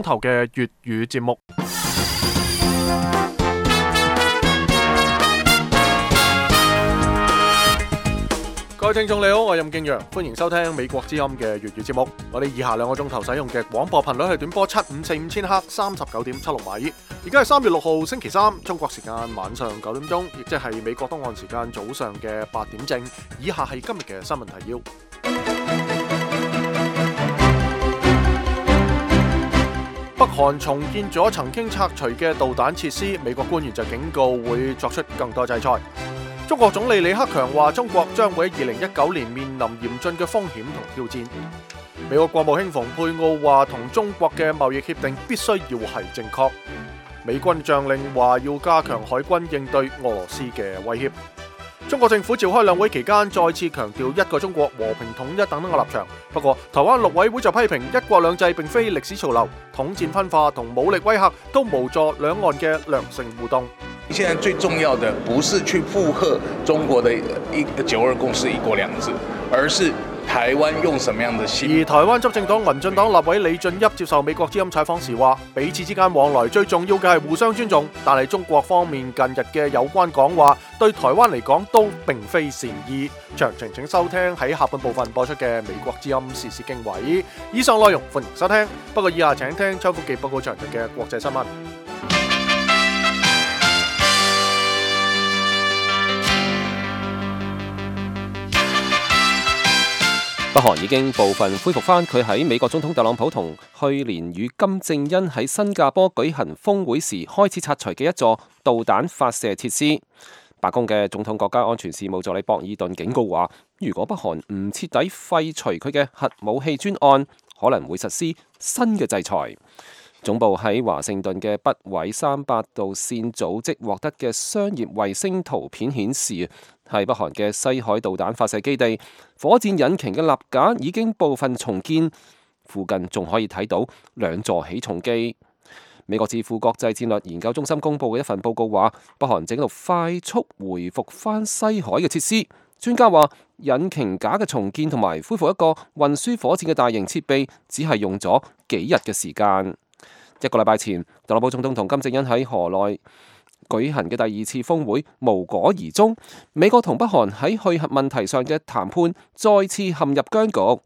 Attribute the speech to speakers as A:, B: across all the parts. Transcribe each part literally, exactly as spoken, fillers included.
A: 頭嘅粵語節目。各位聽眾你好，我係任敬陽，歡迎收聽美國之音嘅粵語節目。我哋以下兩個鐘頭使用嘅廣播頻率係短波七五四五千赫，三十九點七六米。而家係三月六號星期三，中國時間晚上九點鐘，亦即係美國東岸時間早上嘅八點正。以下係今日嘅新聞提要。北韓重建咗曾經拆除嘅導彈設施，美國官員就警告會作出更多制裁。中國總理李克強話，中國將會喺二零一九年面臨嚴峻嘅風險同挑戰。美國國務卿蓬佩奧話，同中國嘅貿易協定必須要係正確。美軍將領話要加強海軍應對俄羅斯嘅威脅。中國政府召開兩會期間，再次強調一個中國、和平統一等等嘅立場。不過，台灣陸委會就批評一國兩制並非歷史潮流，統戰分化同武力威嚇都無助兩岸嘅良性互動。
B: 現在最重要的不是去附和中國的一九二共識、一國兩制，而是台灣用什麼樣的心。
A: 而台灣執政黨民進黨立委李俊俋接受美國之音採訪時話，彼此之間往來最重要嘅係互相尊重，但係中國方面近日嘅有關講話對台灣嚟講都並非善意。詳情請收聽喺下半部分播出嘅美國之音時事經緯。以上內容歡迎收聽，不過以下請聽秋福記報告詳盡嘅國際新聞。
C: 北韓已經部分恢復翻佢喺美國總統特朗普同去年與金正恩喺新加坡舉行峰會時開始拆除嘅一座導彈發射設施。白宮嘅總統國家安全事務助理博爾頓警告話，如果北韓唔徹底廢除佢嘅核武器專案，可能會實施新嘅制裁。總部喺華盛頓嘅北緯三百度線組織獲得嘅商業衛星圖片顯示，係北韓嘅西海導彈發射基地，火箭引擎嘅立架已經部分重建，附近仲可以睇到兩座起重機。美國智庫國際戰略研究中心公佈嘅一份報告話，北韓正喺度快速回復翻西海嘅設施。專家話，引擎架嘅重建同埋恢復一個運輸火箭嘅大型設備，只係用咗幾日嘅時間。一個禮拜前，特朗普總統同金正恩喺河內舉行嘅第二次峰會無果而終，美國同北韓喺去核問題上嘅談判再次陷入僵局。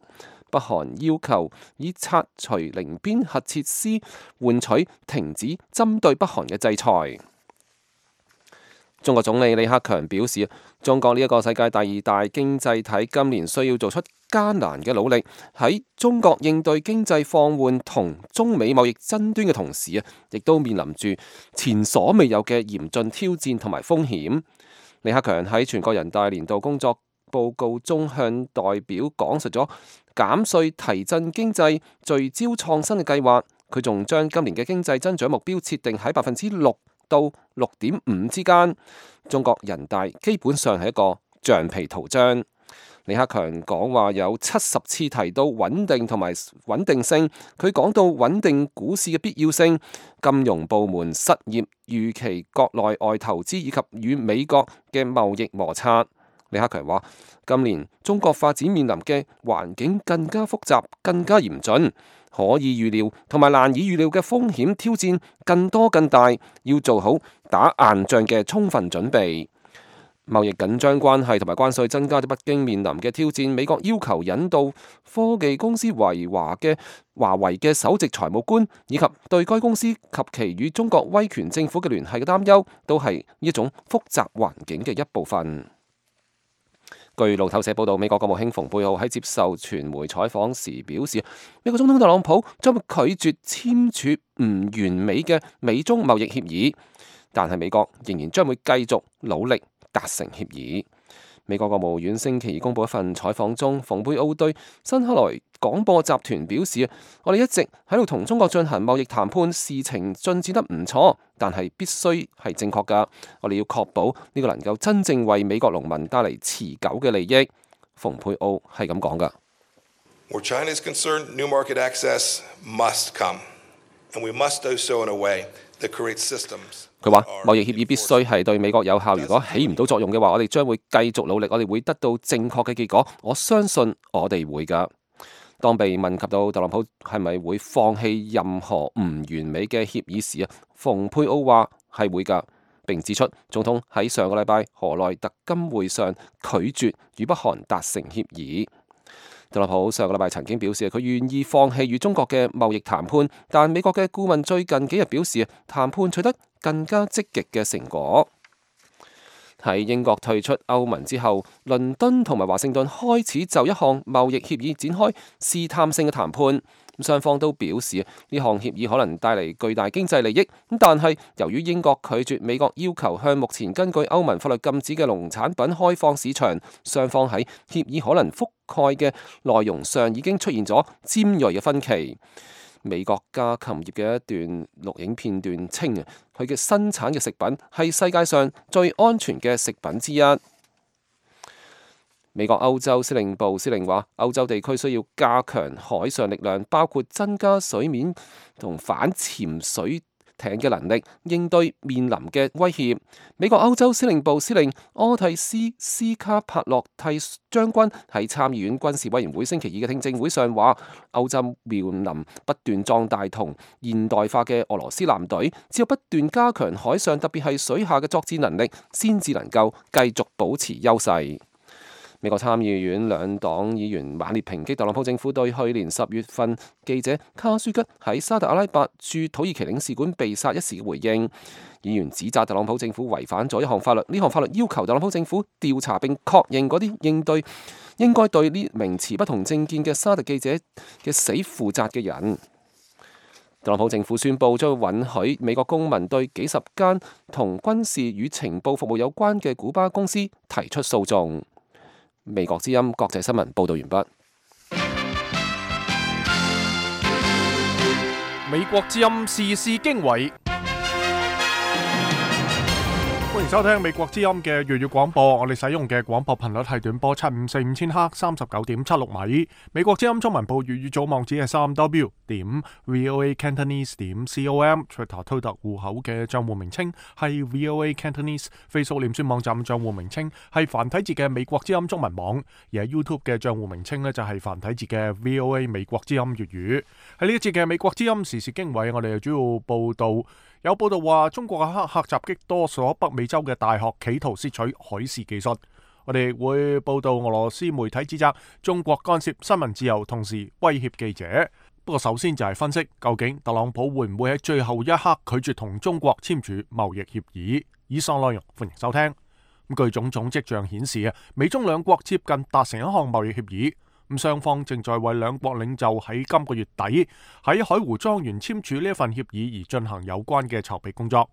C: 北韓要求以拆除寧邊核設施換取停止針對北韓嘅制裁。中國總理李克強表示，中國呢一個世界第二大經濟體，今年需要做出艱難嘅努力，喺中國應對經濟放緩同中美貿易爭端嘅同時啊，亦都面臨住前所未有嘅嚴峻挑戰同埋風險。李克強喺全國人大年度工作報告中向代表講述咗減稅提振經濟、聚焦創新嘅計劃。佢仲將今年嘅經濟增長目標設定喺百分之六到六點五之間。中國人大基本上係一個橡皮圖章。李克強講話有七十次提到穩定同埋穩定性，佢講到穩定股市嘅必要性、金融部門失業預期、國內外投資以及與美國嘅貿易摩擦。李克強話，今年中國發展面臨嘅環境更加複雜、更加嚴峻，可以預料同埋難以預料嘅風險挑戰更多更大，要做好打硬仗嘅充分準備。貿易緊張關係同埋關稅增加咗北京面臨嘅挑戰。美國要求引導科技公司維華嘅華為嘅首席財務官，以及對該公司及其與中國威權政府嘅聯繫嘅擔憂，都係一種複雜環境嘅一部分。據路透社報道，美國國務卿蓬佩奧喺接受傳媒採訪時表示，美國總統特朗普將會拒絕簽署唔完美嘅美中貿易協議，但係美國仍然將會繼續努力達成協議。美國國務院星期二公佈一份採訪中，蓬佩奧對新克萊廣播集團表示，我哋一直喺度同中國進行貿易談判，事情進展得唔錯，但係必須係正確㗎。我哋要確保呢個能夠真正為美國農民帶嚟持久嘅利益。蓬佩奧係咁講㗎。
D: Where China is concerned, new market access must come, and we must do so in a way that creates systems.
C: 佢話貿易協議必須係對美國有效，如果起唔到作用嘅話，我哋將會繼續努力，我哋會得到正確嘅結果，我相信我哋會㗎。當被問及到特朗普係咪會放棄任何唔完美嘅協議時啊，蓬佩奧話係會㗎，並指出總統喺上個禮拜河內特金會上拒絕與北韓達成協議。特朗普上個禮拜曾經表示佢願意放棄與中國嘅貿易談判，但美國嘅顧問最近幾日表示談判取得更加積極嘅成果。喺英國退出歐盟之後，倫敦同埋華盛頓開始就一項貿易協議展開試探性嘅談判。雙方都表示呢項協議可能帶嚟巨大經濟利益，但係由於英國拒絕美國要求向目前根據歐盟法律禁止嘅農產品開放市場，雙方喺協議可能覆蓋嘅內容上已經出現咗尖銳嘅分歧。美國家禽業嘅一段錄影片段稱啊，佢嘅生產嘅食品係世界上最安全嘅食品之一。美國歐洲司令部司令話，歐洲地區需要加強海上力量，包括增加水面同反潛水艇嘅能力，應對面臨嘅威脅。美國歐洲司令部司令柯蒂斯斯卡帕洛蒂將軍喺參議院軍事委員會星期二嘅聽證會上話，歐洲面臨不斷壯大同現代化嘅俄羅斯艦隊，只有不斷加強海上，特別係水下嘅作戰能力，先至能夠繼續保持優勢。美國參議院兩黨議員猛烈抨擊特朗普政府對去年十月份記者卡舒吉喺沙特阿拉伯駐土耳其領事館被殺一事嘅回應。議員指責特朗普政府違反咗一項法律，呢項法律要求特朗普政府調查並確認嗰啲應對應該對呢名持不同政見嘅沙特記者嘅死負責嘅人。特朗普政府宣布將允許美國公民對幾十間同軍事與情報服務有關嘅古巴公司提出訴訟。美國之音國際新聞報道完畢。
A: 美國之音時事經緯，歡迎收聽美國之音嘅粵語廣播。我哋使用嘅廣播頻率係短波七五四五千赫，三十九點七六米。美國之音中文部粵語組網址係三 w 點 voa cantonese 點 com。Twitter 推特戶口嘅賬戶名稱係 voa cantonese。Facebook 臉書網站賬戶名稱係繁體字嘅美國之音中文網。而喺 YouTube 嘅賬戶名稱呢，就係繁體字嘅 voa 美國之音粵語。喺呢一節嘅美國之音時事經緯，我哋主要報道。有報道話，中國嘅黑客襲擊多所北美洲嘅大學，企圖竊取海事技術。我哋會報道俄羅斯媒體指責中國干涉新聞自由，同時威脅記者。不過首先就係分析，究竟特朗普會唔會喺最後一刻拒絕同中國簽署貿易協議？以上內容歡迎收聽。咁據種種跡象顯示啊，美中兩國接近達成一項貿易協議。咁雙方正在為兩國領袖喺今個月底喺海湖莊園簽署呢一份協議而進行有關嘅籌備工作。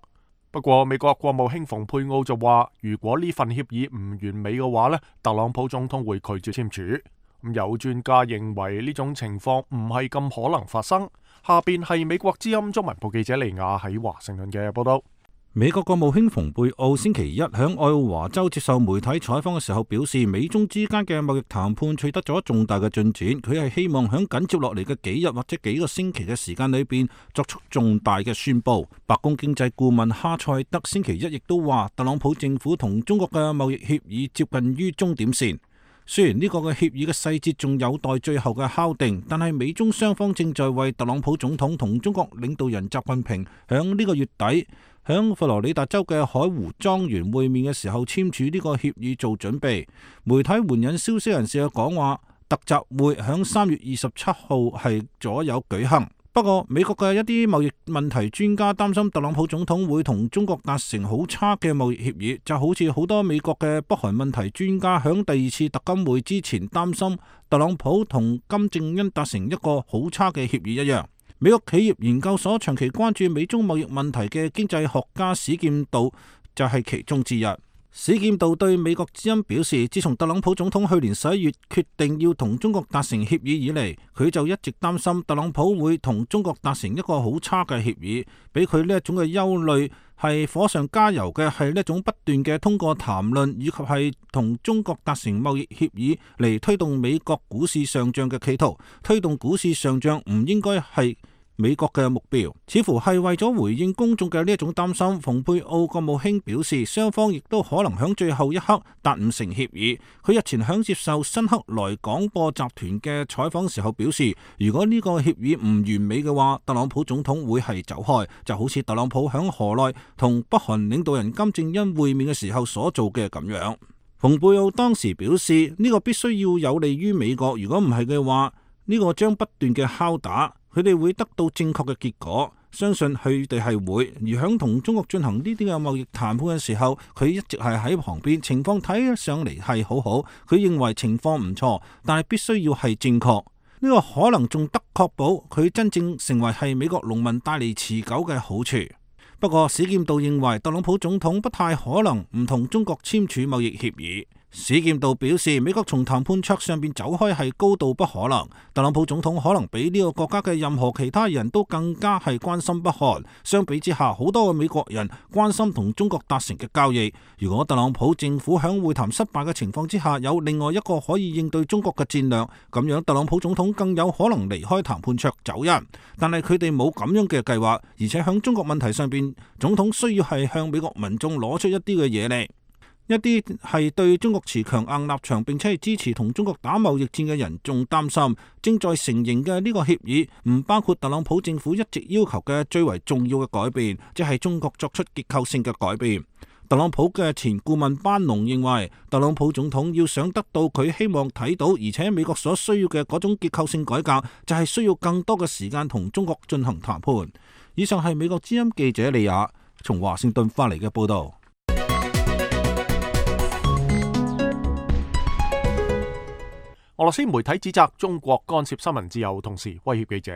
A: 不過美國國務卿蓬佩奧就話，如果呢份協議唔完美嘅話呢，特朗普總統會拒絕簽署。咁有專家認為呢種情況唔係咁可能發生。下邊係美國之音中文部記者利亞喺華盛頓嘅報道。
E: 美國國務卿蓬佩奧星期一響愛奧華州接受媒體採訪嘅時候表示，美中之間嘅貿易談判取得咗重大嘅進展，佢係希望響緊接落嚟嘅幾日或者幾個星期嘅時間裏邊作出重大嘅宣布。白宮經濟顧問哈塞德星期一亦都話，特朗普政府同中國嘅貿易協議接近於終點線。雖然呢個嘅協議嘅細節仲有待最後嘅敲定，但係美中雙方正在為特朗普總統同中國領導人習近平響呢個月底響佛羅里達州嘅海湖莊園會面嘅時候簽署呢個協議做準備。媒體援引消息人士嘅講話，特集會響三月二十七號係左右舉行。不過美國嘅一啲貿易問題專家擔心特朗普總統會同中國達成好差嘅貿易協議，就好似好多美國嘅北韓問題專家響第二次特金會之前擔心特朗普同金正恩達成一個好差嘅協議一樣。美國企業研究所長期關注美中貿易問題嘅經濟學家史劍道就係其中之一。史劍道對美國之音表示，自從特朗普總統去年十一月決定要同中國達成協議以嚟，佢就一直擔心特朗普會同中國達成一個好差嘅協議。俾佢呢一種嘅憂慮係火上加油嘅，係呢一種不斷嘅通過談論以及係同中國達成貿易協議嚟推動美國股市上漲嘅企圖。推動股市上漲唔應該係美國嘅目標，似乎係為咗回應公眾嘅呢一種擔心。蓬佩奧國務卿表示，雙方亦都可能響最後一刻達唔成協議。佢日前響接受新克萊廣播集團嘅採訪時候表示，如果呢個協議唔完美嘅話，特朗普總統會係走開，就好似特朗普響河內同北韓領導人金正恩會面嘅時候所做嘅咁樣。蓬佩奧當時表示，呢個必須要有利於美國，如果唔係嘅話，呢個將不斷嘅敲打，佢哋會得到正確嘅結果。相信佢哋係會。而響同中國進行呢啲嘅貿易談判嘅時候，佢一直係喺旁邊，情況睇上嚟係好好。佢認為情況唔錯，但係必須要係正確。呢個可能仲得確保佢真正成為係美國農民帶嚟持久嘅好處。不過史劍道認為特朗普總統不太可能唔同中國簽署貿易協議。史劍道表示，美國從談判桌上邊走開係高度不可能。特朗普總統可能比呢個國家嘅任何其他人都更加係關心北韓。相比之下，好多嘅美國人關心同中國達成嘅交易。如果特朗普政府響會談失敗嘅情況之下有另外一個可以應對中國嘅戰略，咁樣特朗普總統更有可能離開談判桌走人。但係佢哋冇咁樣嘅計劃，而且響中國問題上邊，總統需要係向美國民眾攞出一啲嘅嘢嚟。一啲係對中國持強硬立場並且係支持同中國打貿易戰嘅人仲擔心，正在成形嘅呢個協議唔包括特朗普政府一直要求嘅最為重要嘅改變，即係中國作出結構性嘅改變。特朗普嘅前顧問班農認為，特朗普總統要想得到佢希望睇到，而且美國所需要嘅嗰種結構性改革，就係需要更多嘅時間同中國進行談判。以上係美國之音記者利亞從華盛頓發嚟嘅報道。
A: 俄羅斯媒體指責中國干涉新聞自由，同時威脅記者。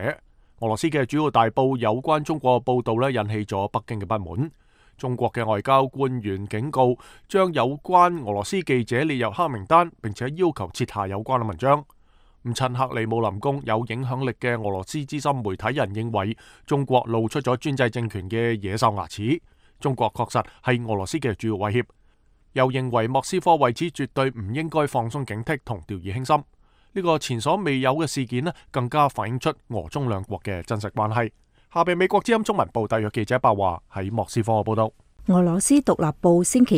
A: 俄羅斯嘅主要大報有關中國報道咧，引起咗北京嘅不滿。中國嘅外交官員警告，將有關俄羅斯記者列入黑名單，並且要求撤下有關嘅文章。咁趁克里姆林宮有影響力嘅俄羅斯資深媒體人認為，中國露出咗專制政權嘅野獸牙齒。中國確實係俄羅斯嘅主要威脅，又認為莫斯科為此絕對唔應該放鬆警惕同掉以輕心。呢個前所未有嘅事件咧，更加反映出俄中兩國嘅真實關係。下邊美國之音中文部特約記者白華喺莫斯科嘅報道。
F: 俄羅斯獨立報星期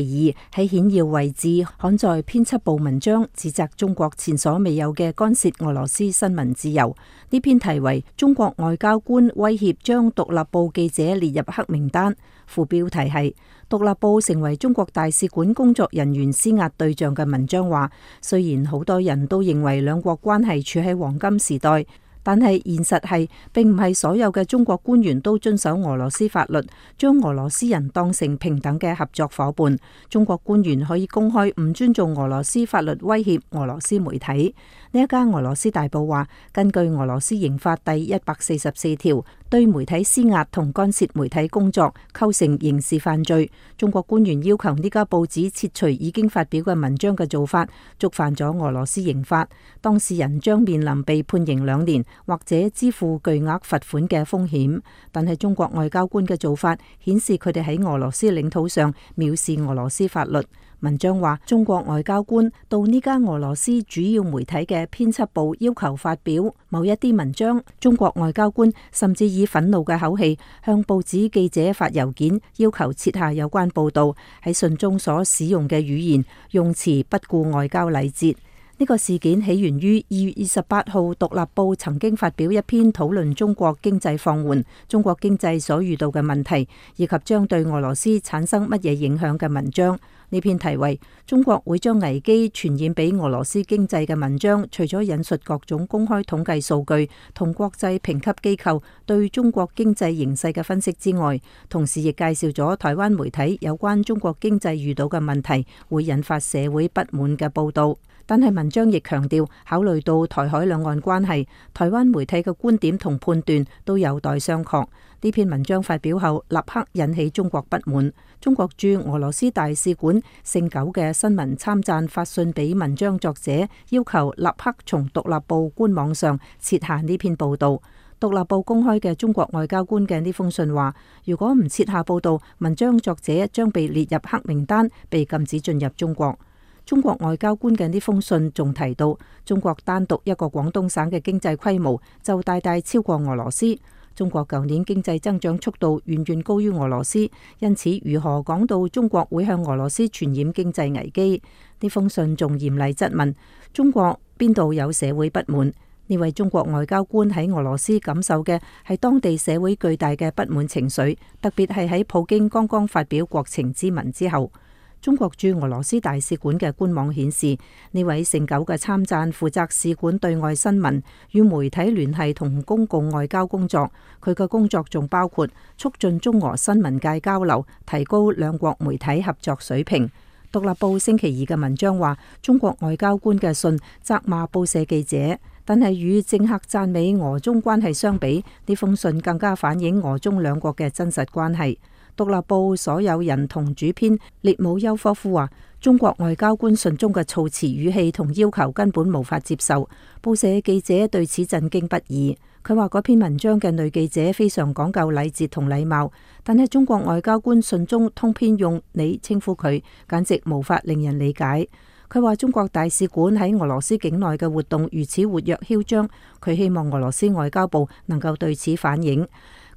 F: 二喺顯要位置刊載編輯部文章，指責中國前所未有嘅干涉俄羅斯新聞自由。呢篇題為《中國外交官威脅將獨立報記者列入黑名單》，副標題係獨立報成為中國大使館工作人員施壓對象嘅文章話，雖然好多人都認為兩國關係處喺黃金時代，但係現實係並唔係所有嘅中國官員都遵守俄羅斯法律，將俄羅斯人當成平等嘅合作伙伴。中國官員可以公開唔尊重俄羅斯法律威脅俄羅斯媒體。呢一間俄羅斯大報話，根據俄羅斯刑法第一百四十四條，對媒體施壓同干涉媒體工作構成刑事犯罪。中國官員要求呢家報紙撤除已經發表嘅文章嘅做法，觸犯咗俄羅斯刑法，當事人將面臨被判刑兩年或者支付巨額罰款嘅風險。但係中國外交官嘅做法顯示佢哋喺俄羅斯領土上藐視俄羅斯法律。文章話，中國外交官到呢家俄羅斯主要媒體嘅編輯部要求發表某一啲文章，中國外交官甚至以憤怒嘅口氣向報紙記者發郵件，要求撤下有關報道。喺信中所使用嘅語言用詞不顧外交禮節。呢個事件起源於二月二十八號獨立報曾經發表一篇討論中國經濟放緩、中國經濟所遇到嘅問題，以及將對俄羅斯產生乜嘢影響嘅文章。呢篇題為《中國會將危機傳染俾俄羅斯經濟》嘅文章，除咗引述各種公開統計數據同國際評級機構對中國經濟形勢嘅分析之外，同時亦介紹咗台灣媒體有關中國經濟遇到嘅問題會引發社會不滿嘅報導。但係文章亦強調，考慮到台海兩岸關係，台灣媒體嘅觀點同判斷都有待商榷。呢篇文章發表後，立刻引起中國不滿。中國駐俄羅斯大使館姓九嘅新聞參贊發信俾文章作者，要求立刻從獨立報官網上撤下呢篇報導。獨立報公開嘅中國外交官嘅呢封信話，如果唔撤下報導，文章作者將被列入黑名單，被禁止進入中國。中國外交官嘅呢封信仲提到，中國單獨一個廣東省嘅經濟規模就大大超過俄羅斯。中國舊年經濟增長速度遠遠高於俄羅斯，因此如何講到中國會向俄羅斯傳染經濟危機？呢封信仲嚴厲質問中國邊度有社會不滿？呢位中國外交官喺俄羅斯感受嘅係當地社會巨大嘅不滿情緒，特別係喺普京剛剛發表國情咨文之後。中國駐俄羅斯大使館嘅官網顯示，呢位姓九嘅參贊負責使館對外新聞與媒體聯繫同公共外交工作。佢嘅工作仲包括促進中俄新聞界交流，提高兩國媒體合作水平。獨立報星期二嘅文章話，中國外交官嘅信責罵報社記者，但係與政客讚美俄中關係相比，呢封信更加反映俄中兩國嘅真實關係。獨立報所有人同主編列姆丘科夫話，中國外交官信中嘅措辭語氣同要求根本無法接受，報社記者對此震驚不已。佢話嗰篇文章嘅女記者非常講究禮節同禮貌，但係中國外交官信中通篇用你稱呼佢，簡直無法令人理解。佢話中國大使館喺俄羅斯境內嘅活動如此活躍囂張，佢希望俄羅斯外交部能夠對此反映。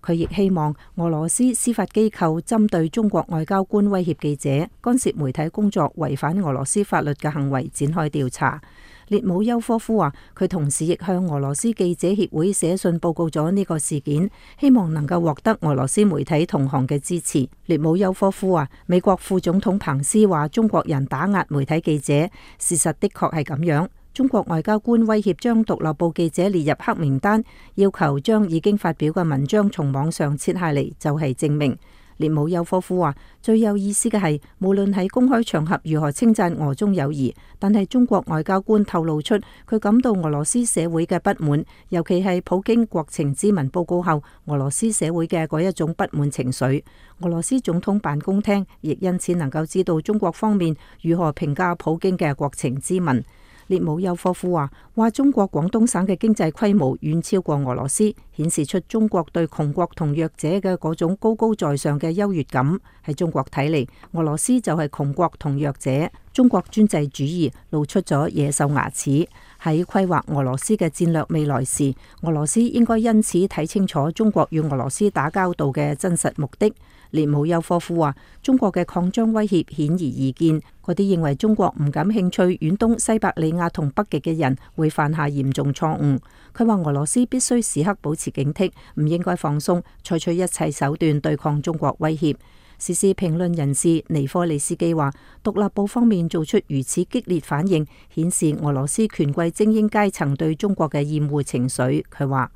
F: 佢亦希望俄羅斯司法機構針對中國外交官威脅記者、干涉媒體工作、違反俄羅斯法律嘅行為展開調查。列姆丘科夫話，佢同時亦向俄羅斯記者協會寫信報告咗呢個事件，希望能夠獲得俄羅斯媒體同行嘅支持。列姆丘科夫話，美國副總統彭斯話中國人打壓媒體記者，事實的確係咁樣。中國外交官威脅將獨立報記者列入黑名單，要求將已經發表嘅文章從網上撤下嚟，就係證明。列姆丘科夫話，最有意思嘅係，無論喺公開場合如何稱讚俄中友誼，但係中國外交官透露出佢感到俄羅斯社會嘅不滿，尤其係普京國情咨文報告後，俄羅斯社會嘅嗰一種不滿情緒。俄羅斯總統辦公廳亦因此能夠知道中國方面如何評價普京嘅國情咨文。列姆丘科夫話：話中國廣東省嘅經濟規模遠超過俄羅斯，顯示出中國對窮國同弱者嘅嗰種高高在上嘅優越感。喺中國睇嚟，俄羅斯就係窮國同弱者。中國專制主義露出咗野獸牙齒。喺規劃俄羅斯嘅戰略未來時，俄羅斯應該因此睇清楚中國與俄羅斯打交道嘅真實目的。列姆丘科夫話：中國嘅擴張威脅顯而易見，嗰啲認為中國唔感興趣遠東西伯利亞同北極嘅人會犯下嚴重錯誤。佢話俄羅斯必須時刻保持警惕，唔應該放鬆，採取一切手段對抗中國威脅。時事評論人士尼科利斯基話：獨立報方面做出如此激烈反應，顯示俄羅斯權貴精英階層對中國嘅厭惡情緒。佢話：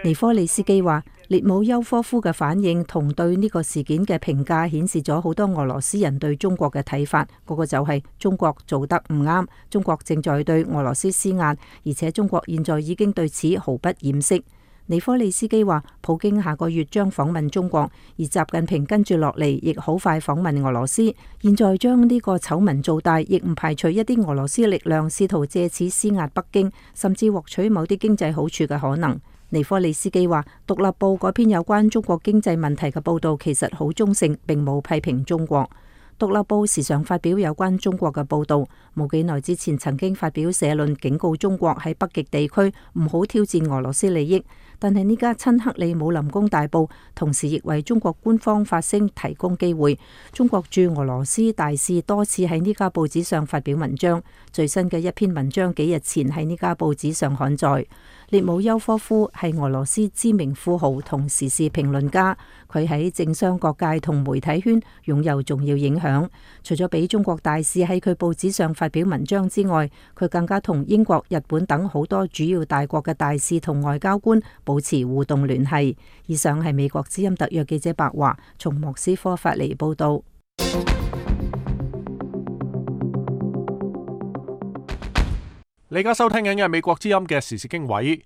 F: 尼科利斯基話，列姆丘科夫嘅反應同對呢個事件嘅評價顯示咗好多俄羅斯人對中國嘅睇法，嗰個就係中國做得唔啱，中國正在對俄羅斯施壓，而且中國現在已經對此毫不掩飾。尼科利斯基話，普京下個月將訪問中國，而習近平跟住落嚟亦好快訪問俄羅斯。現在將呢個醜聞做大，亦唔排除一啲俄羅斯力量試圖借此施壓北京，甚至獲取某啲經濟好處嘅可能。尼科利斯基話，獨立報嗰篇有關中國經濟問題嘅報導其實好中性，並冇批評中國。獨立報時常發表有關中國嘅報導，冇幾耐之前曾經發表社論警告中國喺北極地區唔好挑戰俄羅斯利益。但係呢家親克里姆林宮大報同時亦為中國官方發聲提供機會。中國駐俄羅斯大使多次喺呢家報紙上發表文章，最新嘅一篇文章幾日前喺呢家報紙上刊載。列姆丘科夫係俄羅斯知名富豪同時事評論家，佢喺政商各界同媒體圈擁有重要影響。除咗俾中國大使喺佢報紙上發表文章之外，佢更加同英國、日本等好多主要大國嘅大使同外交官保持互動聯繫。以上係美國之音特約記者白華從莫斯科發嚟報道。
A: 你而家收聽緊嘅係美國之音嘅時事經緯。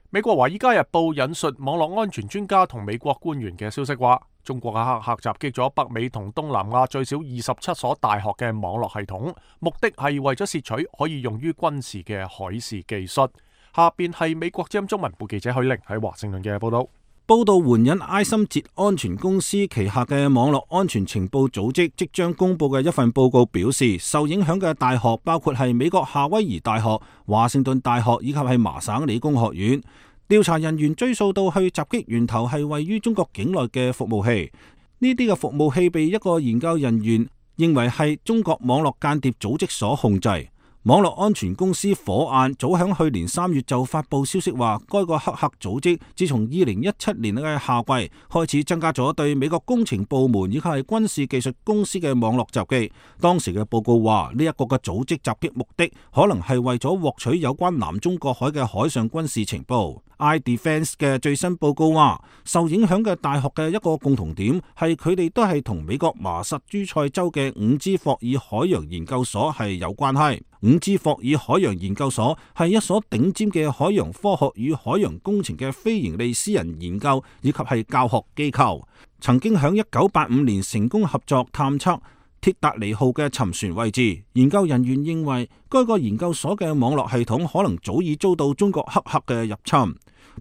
A: 美國華爾街日報引述網絡安全專家同美國官員嘅消息話，中國嘅黑客襲擊咗北美同東南亞最少二十七所大學嘅網絡系統，目的係為咗竊取可以用於軍事嘅海事技術。下邊係美國之音中文部記者許玲喺華盛頓嘅報道。
E: 報道援引埃森哲安全公司旗下嘅網絡安全情報組織即將公布嘅一份報告表示，受影響嘅大學包括係美國夏威夷大學、華盛頓大學以及係麻省理工學院。調查人員追溯到去襲擊源頭係位於中國境內嘅服務器，呢啲嘅服務器被一個研究人員認為係中國網絡間諜組織所控制。網絡安全公司火眼早響去年三月就發佈消息話，該個黑客組織自從二零一七年嘅夏季開始增加咗對美國工程部門以及係軍事技術公司嘅網絡襲擊。當時嘅報告話，呢一個嘅組織襲擊目的可能係為咗獲取有關南中國海嘅海上軍事情報。iDefense 嘅最新報告話，受影響嘅大學嘅一個共同點係佢哋都係同美國麻薩諸塞州嘅伍茲霍爾海洋研究所係有關係。伍茲霍爾海洋研究所係一所頂尖嘅海洋科學與海洋工程嘅非營利私人研究以及係教學機構，曾經響一九八五年成功合作探測鐵達尼號嘅沉船位置。研究人員認為，該個研究所嘅網絡系統可能早已遭到中國黑客嘅入侵。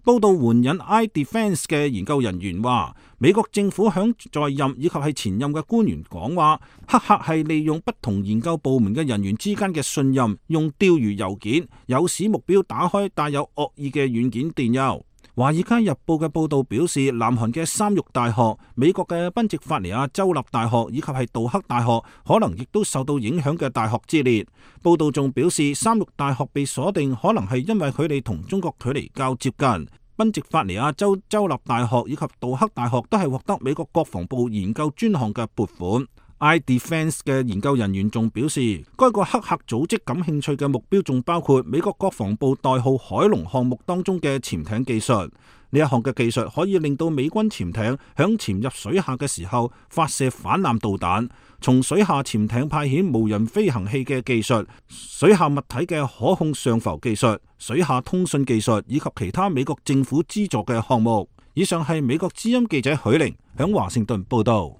E: 報道援引 iDefense 嘅研究人員話，美國政府響在任以及係前任嘅官員講話，黑客係利用不同研究部門嘅人員之間嘅信任，用釣魚郵件誘使目標打開帶有惡意嘅軟件電郵。華爾街日報嘅報道表示，南韓嘅三育大學、美國嘅賓夕法尼亞州立大學以及係杜克大學可能亦都受到影響嘅大學之列。報道仲表示，三育大學被鎖定可能係因為佢哋同中國距離較接近。賓夕法尼亞州州立大學以及杜克大學都係獲得美國國防部研究專項嘅撥款。iDefense 嘅研究人員仲表示，該個黑客組織感興趣嘅目標仲包括美國國防部代號海龍項目當中嘅潛艇技術。呢一項嘅技術可以令到美軍潛艇響潛入水下嘅時候發射反艦導彈，從水下潛艇派遣無人飛行器嘅技術、水下物體嘅可控上浮技術、水下通訊技術以及其他美國政府資助嘅項目。以上係美國之音記者許玲響華盛頓報道。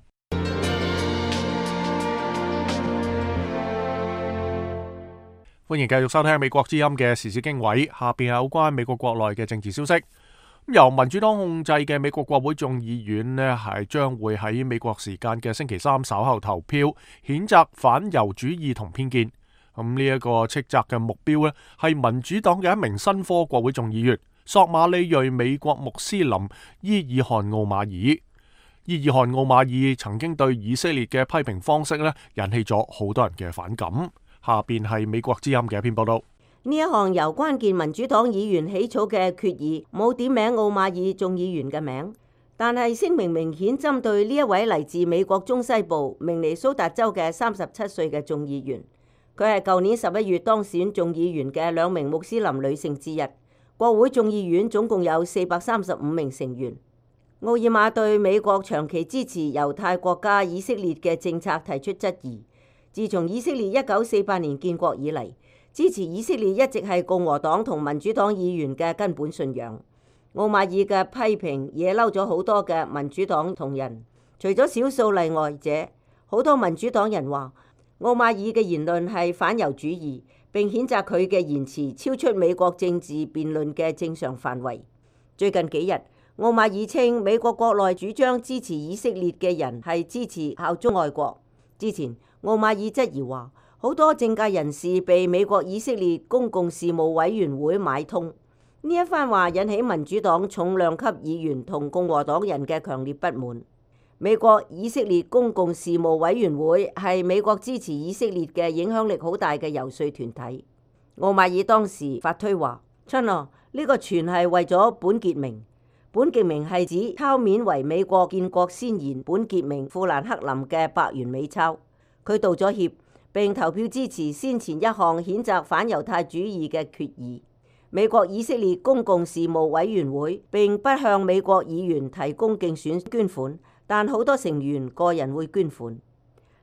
A: 歡迎繼續收聽美國之音嘅時事經緯，下邊係有關美國國內嘅政治消息。由民主黨控制嘅美國國會眾議院呢，係將會喺美國時間嘅星期三稍後投票，譴責反猶主義同偏見。咁呢一個斥責嘅目標呢，係民主黨嘅一名新科國會眾議員索馬里裔美國穆斯林伊爾汗奧馬爾。伊爾汗奧馬爾曾經對以色列嘅批評方式呢，引起咗好多人嘅反感。下邊係美國之音嘅一篇報道。
G: 呢一項由關鍵民主黨議員起草嘅決議冇點名奧馬爾眾議員嘅名，但係聲明明顯針對呢一位嚟自美國中西部明尼蘇達州嘅三十七歲嘅眾議員。佢係舊年十一月當選眾議員嘅兩名穆斯林女性之一。國會眾議院總共有四百三十五名成員。奧爾瑪對美國長期支持猶太國家以色列嘅政策提出質疑。自從以色列一九四八年建國以嚟，支持以色列一直係共和黨同民主黨議員嘅根本信仰。奧馬爾嘅批評惹嬲咗好多嘅民主黨同人，除咗少數例外者，好多民主黨人話奧馬爾嘅言論係反猶主義，並譴責佢嘅言辭超出美國政治辯論嘅正常範圍。最近幾日，奧馬爾稱美國國內主張支持以色列嘅人係支持效忠愛國。之前奧馬爾質疑話，好多政界人士被美國以色列公共事務委員會買通。呢一番話引起民主黨重量級議員同共和黨人嘅強烈不滿。美國以色列公共事務委員會係美國支持以色列嘅影響力好大嘅遊說團體。奧馬爾當時發推話：親啊，呢個全係為咗本傑明。本傑明係指抄面為美國建國先賢本傑明富蘭克林嘅百元美鈔。佢道咗歉，並投票支持先前一項譴責反猶太主義嘅決議。美國以色列公共事務委員會並不向美國議員提供競選捐款，但好多成員個人會捐款。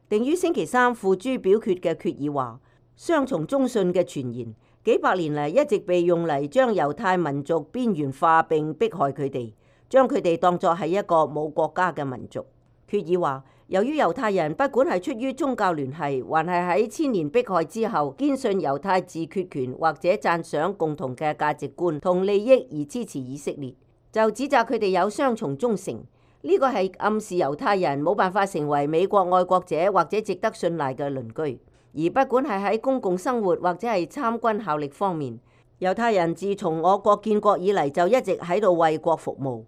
G: 定於星期三付諸表決嘅決議話，雙重中信嘅傳言幾百年嚟一直被用嚟將猶太民族邊緣化並迫害佢哋，將佢哋當作係一個冇國家嘅民族。決議話，由於猶太人不管係出於宗教聯繫，還係喺千年迫害之後堅信猶太自決權或者讚賞共同嘅價值觀同利益而支持以色列，就指責佢哋有雙重忠誠。呢個係暗示猶太人冇辦法成為美國愛國者或者值得信賴嘅鄰居，而不管係喺公共生活或者係參軍效力方面，猶太人自從我國建國以嚟就一直喺度為國服務。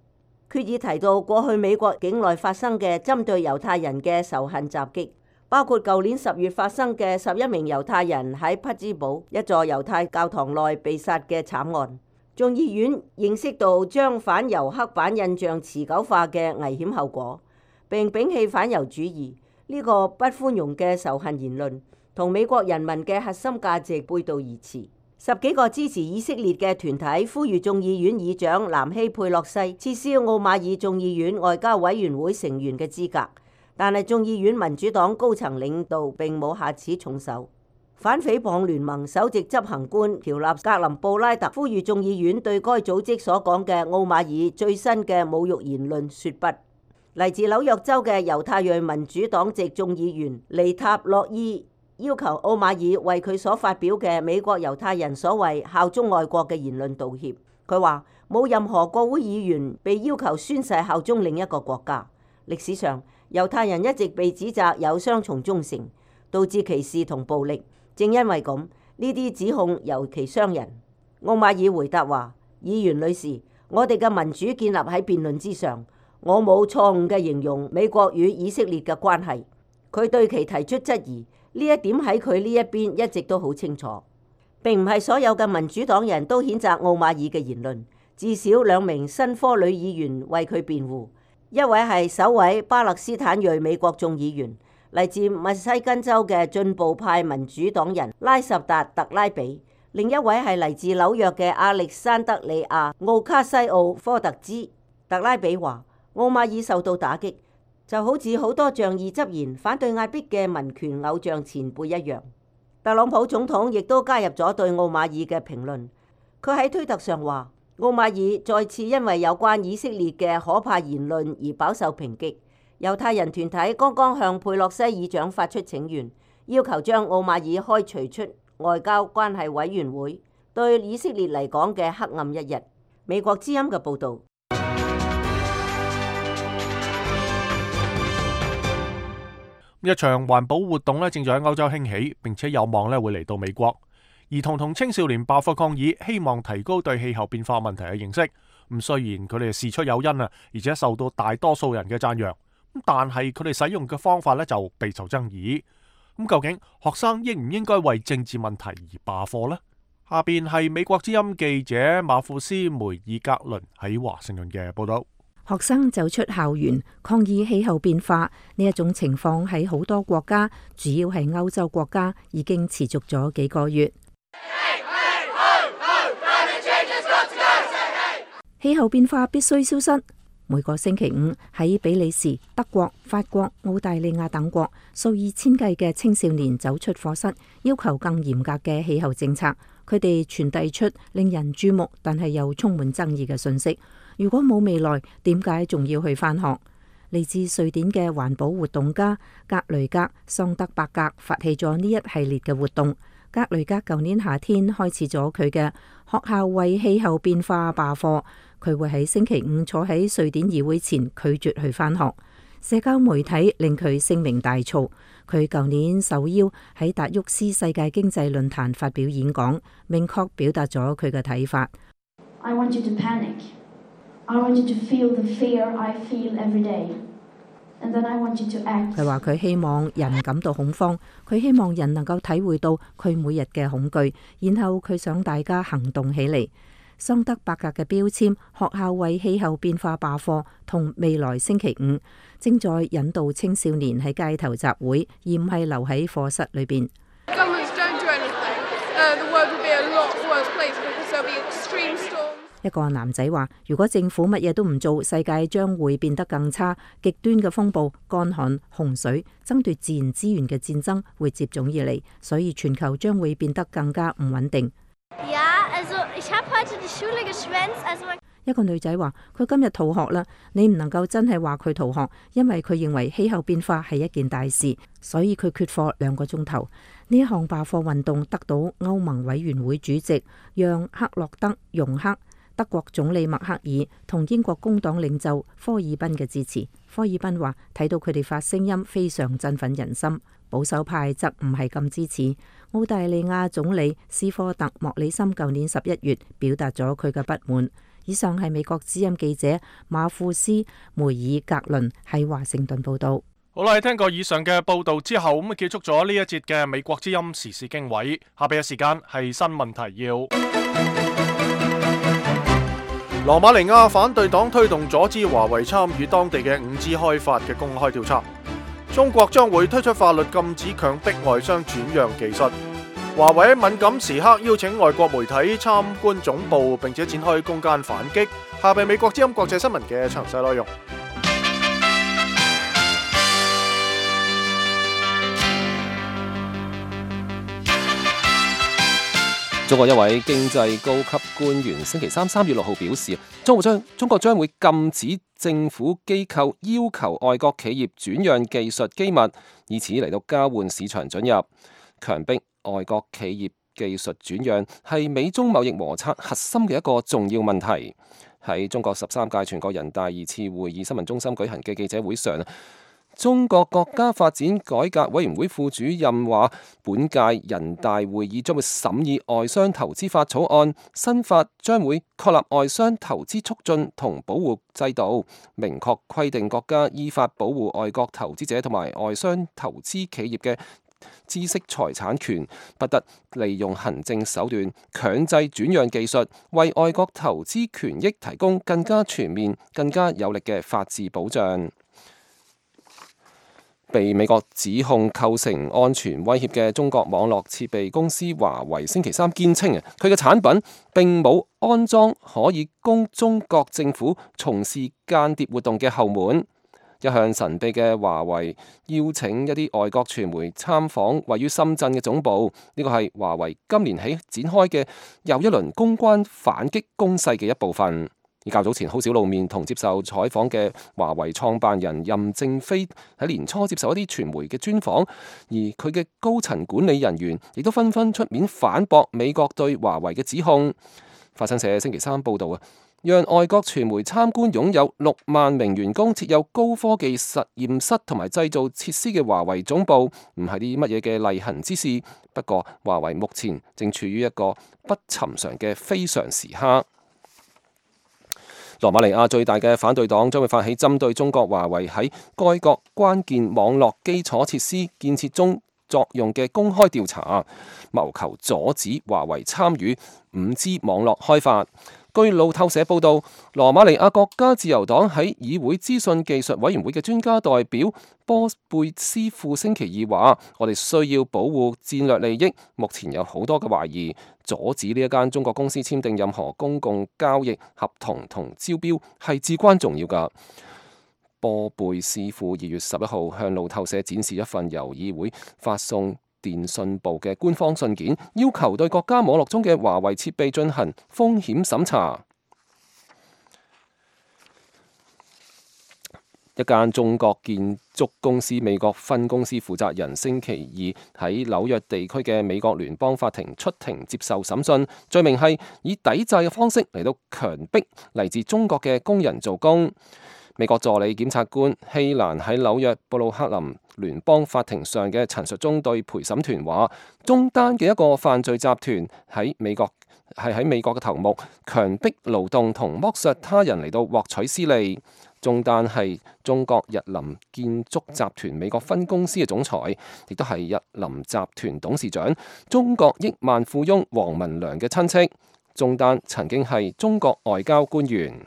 G: 決議提到過去美國境內發生嘅針對猶太人嘅仇恨襲擊，包括舊年十月發生嘅十一名猶太人喺匹茲堡一座猶太教堂內被殺嘅慘案。眾議院認識到將反猶刻板印象持久化嘅危險後果，並摒棄反猶主義呢個不寬容嘅仇恨言論，同美國人民嘅核心價值背道而馳。十幾個支持以色列嘅團體呼籲眾議院議長南希佩洛西撤銷奧馬爾眾議院外交委員會成員嘅資格，但係眾議院民主黨高層領導並冇下此重手。反誹謗聯盟首席執行官喬納格林布拉特呼籲眾議院對該組織所講嘅奧馬爾最新嘅侮辱言論說不。嚟自紐約州嘅猶太裔民主黨籍眾議員尼塔洛伊要求奧馬爾為佢所發表嘅美國猶太人所謂效忠外國嘅言論道歉。佢話冇任何國會議員被要求宣誓效忠另一個國家。歷史上猶太人一直被指責有雙重忠誠，導致歧視同暴力。正因為咁，呢啲指控尤其傷人。奧馬爾回答話：議員女士，我哋嘅民主建立喺辯論之上，我冇錯誤嘅形容美國與以色列嘅關係。佢對其提出質疑，呢一點喺佢呢一邊一直都好清楚。並唔係所有嘅民主黨人都譴責奧馬爾嘅言論，至少兩名新科女議員為佢辯護，一位係首位巴勒斯坦裔美國眾議員，嚟自密西根州嘅進步派民主黨人拉什達特拉比，另一位係嚟自紐約嘅亞歷山德里亞奧卡西奧科特茲。特拉比話：奧馬爾受到打擊，就好似好多仗義執言反對壓迫嘅民權偶像前輩一樣。特朗普總統亦都加入咗對奧馬爾嘅評論。佢喺推特上話：奧馬爾再次因為有關以色列嘅可怕言論而飽受抨擊。猶太人團體剛剛向佩洛西議長發出請願，要求將奧馬爾開除出外交關係委員會，對以色列嚟講嘅黑暗一日。美國之音嘅報導。
A: 一場環保活動咧，正在喺歐洲興起，並且有望咧會嚟到美國。兒童同青少年爆發抗議，希望提高對氣候變化問題嘅認識。咁雖然佢哋事出有因啊，而且受到大多數人嘅讚揚。但係佢哋使用嘅方法咧就備受爭議。咁究竟學生應唔應該為政治問題而罷課呢？下邊係美國之音記者馬庫斯梅爾格倫喺華盛頓嘅報道。
F: 學生走出校園抗議氣候變化呢一種情況喺好多國家，主要係歐洲國家，已經持續咗幾個月。氣候變化必須消失。每個星期五喺比利時、德國、法國、澳大利亞等國，數以千計嘅青少年走出課室，要求更嚴格嘅氣候政策。佢哋傳遞出令人注目但係又充滿爭議嘅信息。如果冇未來，點解仲要去返學？嚟自瑞典嘅環保活動家格雷格桑德伯格發起咗呢一系列嘅活動。格雷格舊年夏天開始咗佢嘅學校為氣候變化罷課，佢會喺星期五坐喺瑞典議會前拒絕去返學。社交媒體令佢聲名大噪。佢舊年受邀喺達沃斯世界經濟論壇發表演講，明確表達咗佢嘅睇法。
H: I want you to panic. I want you to feel the fear I feel every day. And then I want you to act.
F: 佢話佢希望人感到恐慌，佢希望人能夠體會到佢每日嘅恐懼，然後佢想大家行動起嚟。桑德伯格嘅標籤學校為氣候變化罷課同未來星期五正在引導青少年喺街頭集會，而唔係留喺課室裏邊。一個男仔話：如果政府乜嘢都唔做，世界將會變得更差。極端嘅風暴、乾旱、洪水、爭奪自然資源嘅戰爭會接踵而嚟，所以全球將會變得更加唔穩定。一個女仔話：佢今日逃學啦。你唔能夠真係話佢逃學，因為佢認為氣候變化係一件大事，所以佢缺課兩個鐘頭。呢一項罷課運動得到歐盟委員會主席讓克洛德容克德國總理默克爾同英國工黨領袖科爾賓嘅支持。科爾賓話睇到佢哋發聲音非常振奮人心，保守派則唔係咁支持。澳大利亞總理斯科特莫里森舊年十一月表達咗佢嘅不滿。以上係美國之音記者馬庫斯梅爾格倫喺華盛頓報道。
A: 好啦，聽過以上嘅報道之後，咁啊結束咗呢一節嘅美國之音時事經緯。下邊嘅時間係新聞提要。羅馬尼亞反對黨推動阻止華為參與當地嘅五 G 開發嘅公開調查。中國將會推出法律禁止強迫外商轉讓技術。華為喺敏感時刻邀請外國媒體參觀總部，並且展開攻堅反擊。下邊美國之音國際新聞嘅詳細內容。
C: 中國一位經濟高級官員星期三三月六號表示，中國將中國將會禁止政府機構要求外國企業轉讓技術機密，以此嚟到交換市場准入。強迫外國企業技術轉讓係美中貿易摩擦核心嘅一個重要問題。喺中國十三屆全國人大二次會議新聞中心舉行嘅記者會上，中國國家發展改革委員會副主任話，本屆人大會議將會審議外商投資法草案，新法將會確立外商投資促進同保護制度，明確規定國家依法保護外國投資者同埋外商投資企業嘅知識財產權，不得利用行政手段強制轉讓技術，為外國投資權益提供更加全面、更加有力嘅法治保障。被美國指控構成安全威脅嘅中國網絡設備公司華為星期三堅稱啊，佢嘅產品並冇安裝可以供中國政府從事間諜活動嘅後門。一向神秘嘅華為邀請一啲外國傳媒參訪位於深圳嘅總部，呢個係華為今年起展開嘅又一輪公關反擊攻勢嘅一部分。而較早前好少露面同接受採訪嘅華為創辦人任正非喺年初接受一啲傳媒嘅專訪，而佢嘅高層管理人員亦都紛紛出面反駁美國對華為嘅指控。法新社星期三報導啊，讓外國傳媒參觀擁有六萬名員工、設有高科技實驗室同埋製造設施嘅華為總部，唔係啲乜嘢嘅例行之事。不過，華為目前正處於一個不尋常嘅非常時刻。羅馬尼亞最大嘅反對黨將會發起針對中國華為喺該國關鍵網絡基礎設施建設中作用嘅公開調查，謀求阻止華為參與五 G 網絡開發。據路透社報道，羅馬尼亞國家自由黨喺議會資訊技術委員會嘅專家代表波貝斯庫星期二話：我哋需要保護戰略利益，目前有好多嘅懷疑，阻止呢一間中國公司簽訂任何公共交易合同同招標係至關重要㗎。波貝斯庫二月十一號向路透社展示一份由議會發送電信部嘅官方信件，要求對國家網絡中嘅華為設備進行風險審查。一間中國建築公司美國分公司負責人星期二喺紐約地區嘅美國聯邦法庭出庭接受審訊，罪名係以抵債嘅方式嚟到強迫嚟自中國嘅工人做工。美國助理檢察官希蘭喺紐約布魯克林聯邦法庭上嘅陳述中對陪審團話，中單嘅一個犯罪集團喺美國係喺美國嘅頭目，強迫勞動同剝削他人嚟到獲取私利。中單係中國日林建築集團美國分公司嘅總裁，亦都係日林集團董事長、中國億萬富翁王文良嘅親戚。中單曾經係中國外交官員。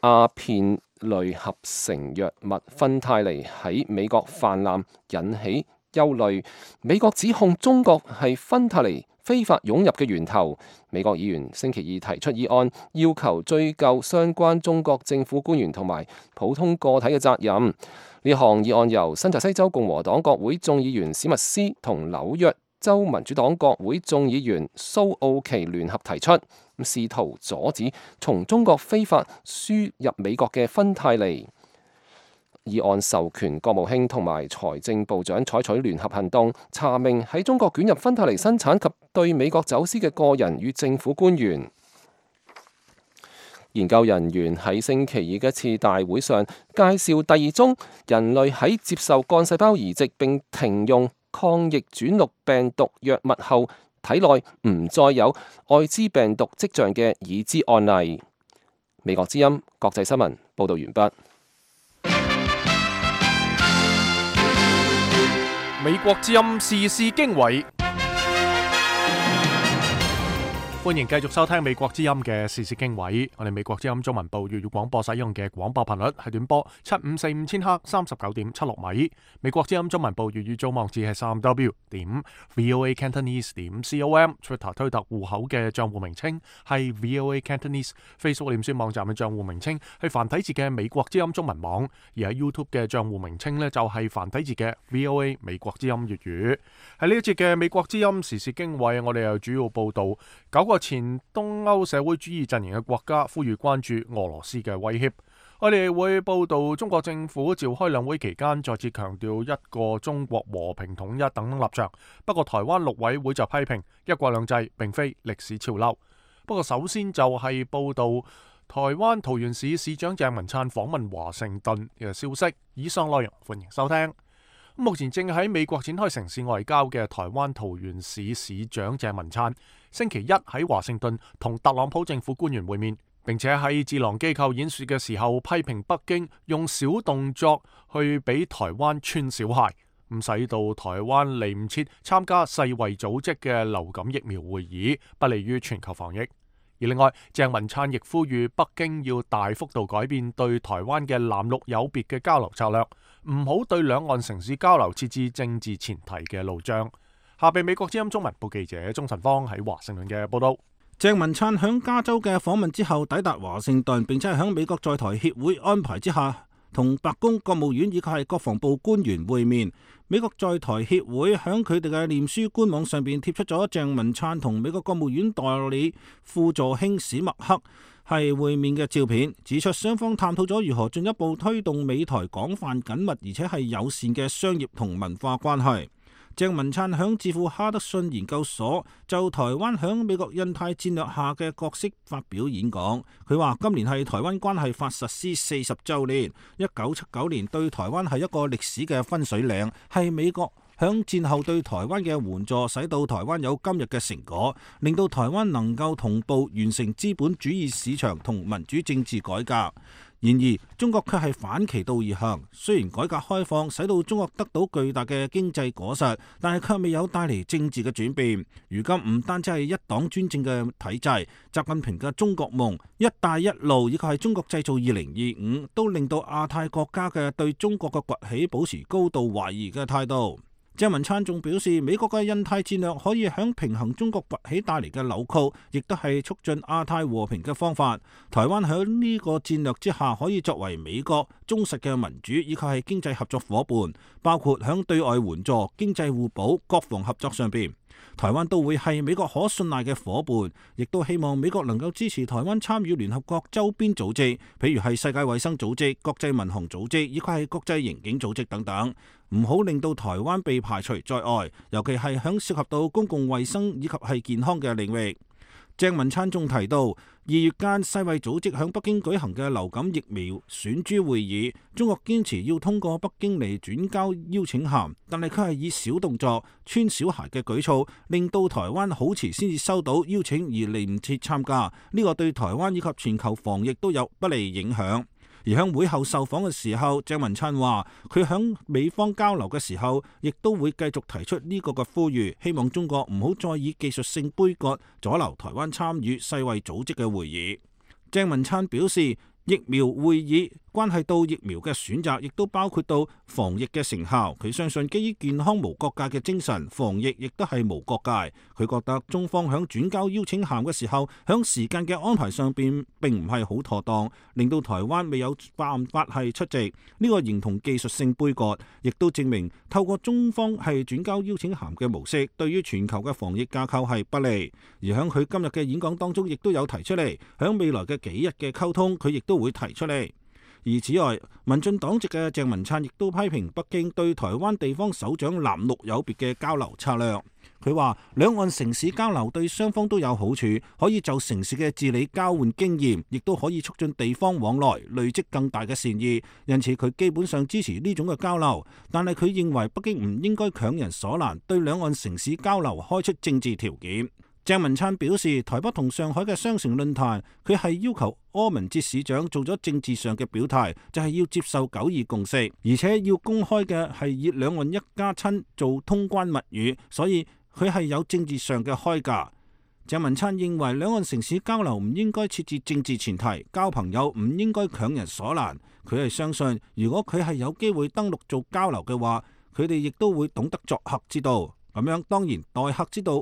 C: 阿片類合成藥物芬太尼喺美國泛濫，引起憂慮。美國指控中國係芬太尼非法湧入嘅源頭。美國議員星期二提出議案，要求追究相關中國政府官員同埋普通個體嘅責任。呢項議案由新澤西州共和黨國會眾議員史密斯同紐約州民主黨國會眾議員蘇奧奇聯合提出，試圖阻止從中國非法輸入美國嘅芬太尼。議案授權國務卿同埋財政部長採取聯合行動，查明喺中國捲入芬太尼生產及對美國走私嘅個人與政府官員。研究人員喺星期二嘅一次大會上介紹第二宗人類喺接受幹細胞移植並停用抗逆轉錄病毒藥物後，體內唔再有愛滋病毒跡象嘅已知案例。美國之音國際新聞報道完畢。
A: 美國之音時事經緯。歡迎繼續收聽美國之音嘅時事經緯。我哋美國之音中文部粵語廣播使用嘅廣播頻率係短波七五四五千赫三十九點七六米。美國之音中文部粵語組網址係三 w 點 voa cantonese 點 com。Twitter 推特戶口嘅賬戶名稱係 voa cantonese。Facebook 臉書網站嘅賬戶名稱係繁體字嘅美國之音中文網，而喺 YouTube 嘅賬戶名稱呢，就係繁體字嘅 voa 美國之音粵語。喺呢一節嘅美國之音時事經緯，我哋又主要報道九個前東歐社會主義陣營嘅國家呼籲關注俄羅斯嘅威脅。我哋會報道中國政府召開兩會期間再次強調一個中國和平統一等立場，不過台灣陸委會就批評一國兩制並非歷史潮流。不過首先就係報道台灣桃園市市長鄭文燦訪問華盛頓嘅消息。以上內容歡迎收聽。目前正喺美國展開城市外交嘅台灣桃園市市長鄭文燦，星期一喺華盛頓同特朗普政府官員會面，並且喺智囊機構演說嘅時候批評北京用小動作去俾台灣穿小鞋，咁使到台灣嚟唔切參加世衛組織嘅流感疫苗會議，不利於全球防疫。而另外，鄭文燦亦呼籲北京要大幅度改變對台灣嘅藍綠有別嘅交流策略，唔好對兩岸城市交流設置政治前提嘅路障。下被美國之音中文部記者鍾晨芳喺華盛頓嘅報道。
E: 鄭文燦響加州嘅訪問之後抵達華盛頓，並且係響美國在台協會安排之下，同白宮、國務院以及係國防部官員會面。美國在台協會響佢哋嘅臉書官網上邊貼出咗鄭文燦同美國國務院代理副助卿史密克係會面嘅照片，指出雙方探討咗如何進一步推動美台廣泛緊密而且係友善嘅商業同文化關係。鄭文燦響智庫哈德遜研究所就台灣響美國印太戰略下嘅角色發表演講。佢話今年係台灣關係法實施四十週年，一九七九年對台灣係一個歷史嘅分水嶺，係美國響戰後對台灣嘅援助，使到台灣有今日嘅成果，令到台灣能夠同步完成資本主義市場同民主政治改革。然而，中國卻係反其道而行。雖然改革開放使到中國得到巨大嘅經濟果實，但係卻未有帶嚟政治嘅轉變。如今唔單止係一黨專政嘅體制，習近平嘅中國夢、一帶一路以及係中國製造二零二五，都令到亞太國家嘅對中國嘅崛起保持高度懷疑嘅態度。鄭文燦仲表示，美國嘅印太戰略可以響平衡中國崛起帶嚟嘅扭曲，亦都係促進亞太和平嘅方法。台灣響呢個戰略之下，可以作為美國忠實嘅民主以及係經濟合作夥伴，包括響對外援助、經濟互補、國防合作上邊。台灣都會係美國可信賴嘅夥伴，亦都希望美國能夠支持台灣參與聯合國周邊組織，譬如係世界衛生組織、國際民航組織以及係國際刑警組織等等，唔好令到台灣被排除在外，尤其係響涉及到公共衛生以及係健康嘅領域。鄭文燦仲提到，二月間世衛組織響北京舉行嘅流感疫苗選株會議，中國堅持要通過北京嚟轉交邀請函，但係佢係以小動作、穿小鞋嘅舉措，令到台灣好遲先至收到邀請而嚟唔切參加，呢個對台灣以及全球防疫都有不利影響。而喺會後受訪嘅時候，鄭文燦話佢響美方交流嘅時候，亦都會繼續提出呢個嘅呼籲，希望中國唔好再以技術性杯葛阻撓台灣參與世衛組織嘅會議。鄭文燦表示，疫苗會議關係到疫苗嘅選擇，亦都包括到防疫嘅成效。佢相信基於健康無國界嘅精神，防疫亦都係無國界。佢覺得中方響轉交邀請函嘅時候，響時間嘅安排上邊並唔係好妥當，令到台灣未有辦法係出席。呢個形同技術性杯葛，亦都證明透過中方係轉交邀請函嘅模式，對於全球嘅防疫架構係不利。而響佢今日嘅演講當中，亦都有提出嚟，響未來嘅幾日嘅溝通，佢亦都會提出嚟。而此外，民進黨籍嘅鄭文燦亦都批評北京對台灣地方首長藍綠有別嘅交流策略。佢話兩岸城市交流對雙方都有好處，可以就城市嘅治理交換經驗，亦都可以促進地方往來，累積更大嘅善意。因此佢基本上支持呢種嘅交流，但係佢認為北京唔應該強人所難，對兩岸城市交流開出政治條件。鄭文燦表示，台北同上海嘅雙城論壇，佢係要求柯文哲市長做咗政治上嘅表態，就係要接受九二共識，而且要公開嘅係以兩岸一家親做通關密語，所以佢係有政治上嘅開價。鄭文燦認為兩岸城市交流唔應該設置政治前提，交朋友唔應該強人所難。佢係相信，如果佢係有機會登陸做交流嘅話，佢哋亦都會懂得作客之道。咁樣當然待客之道，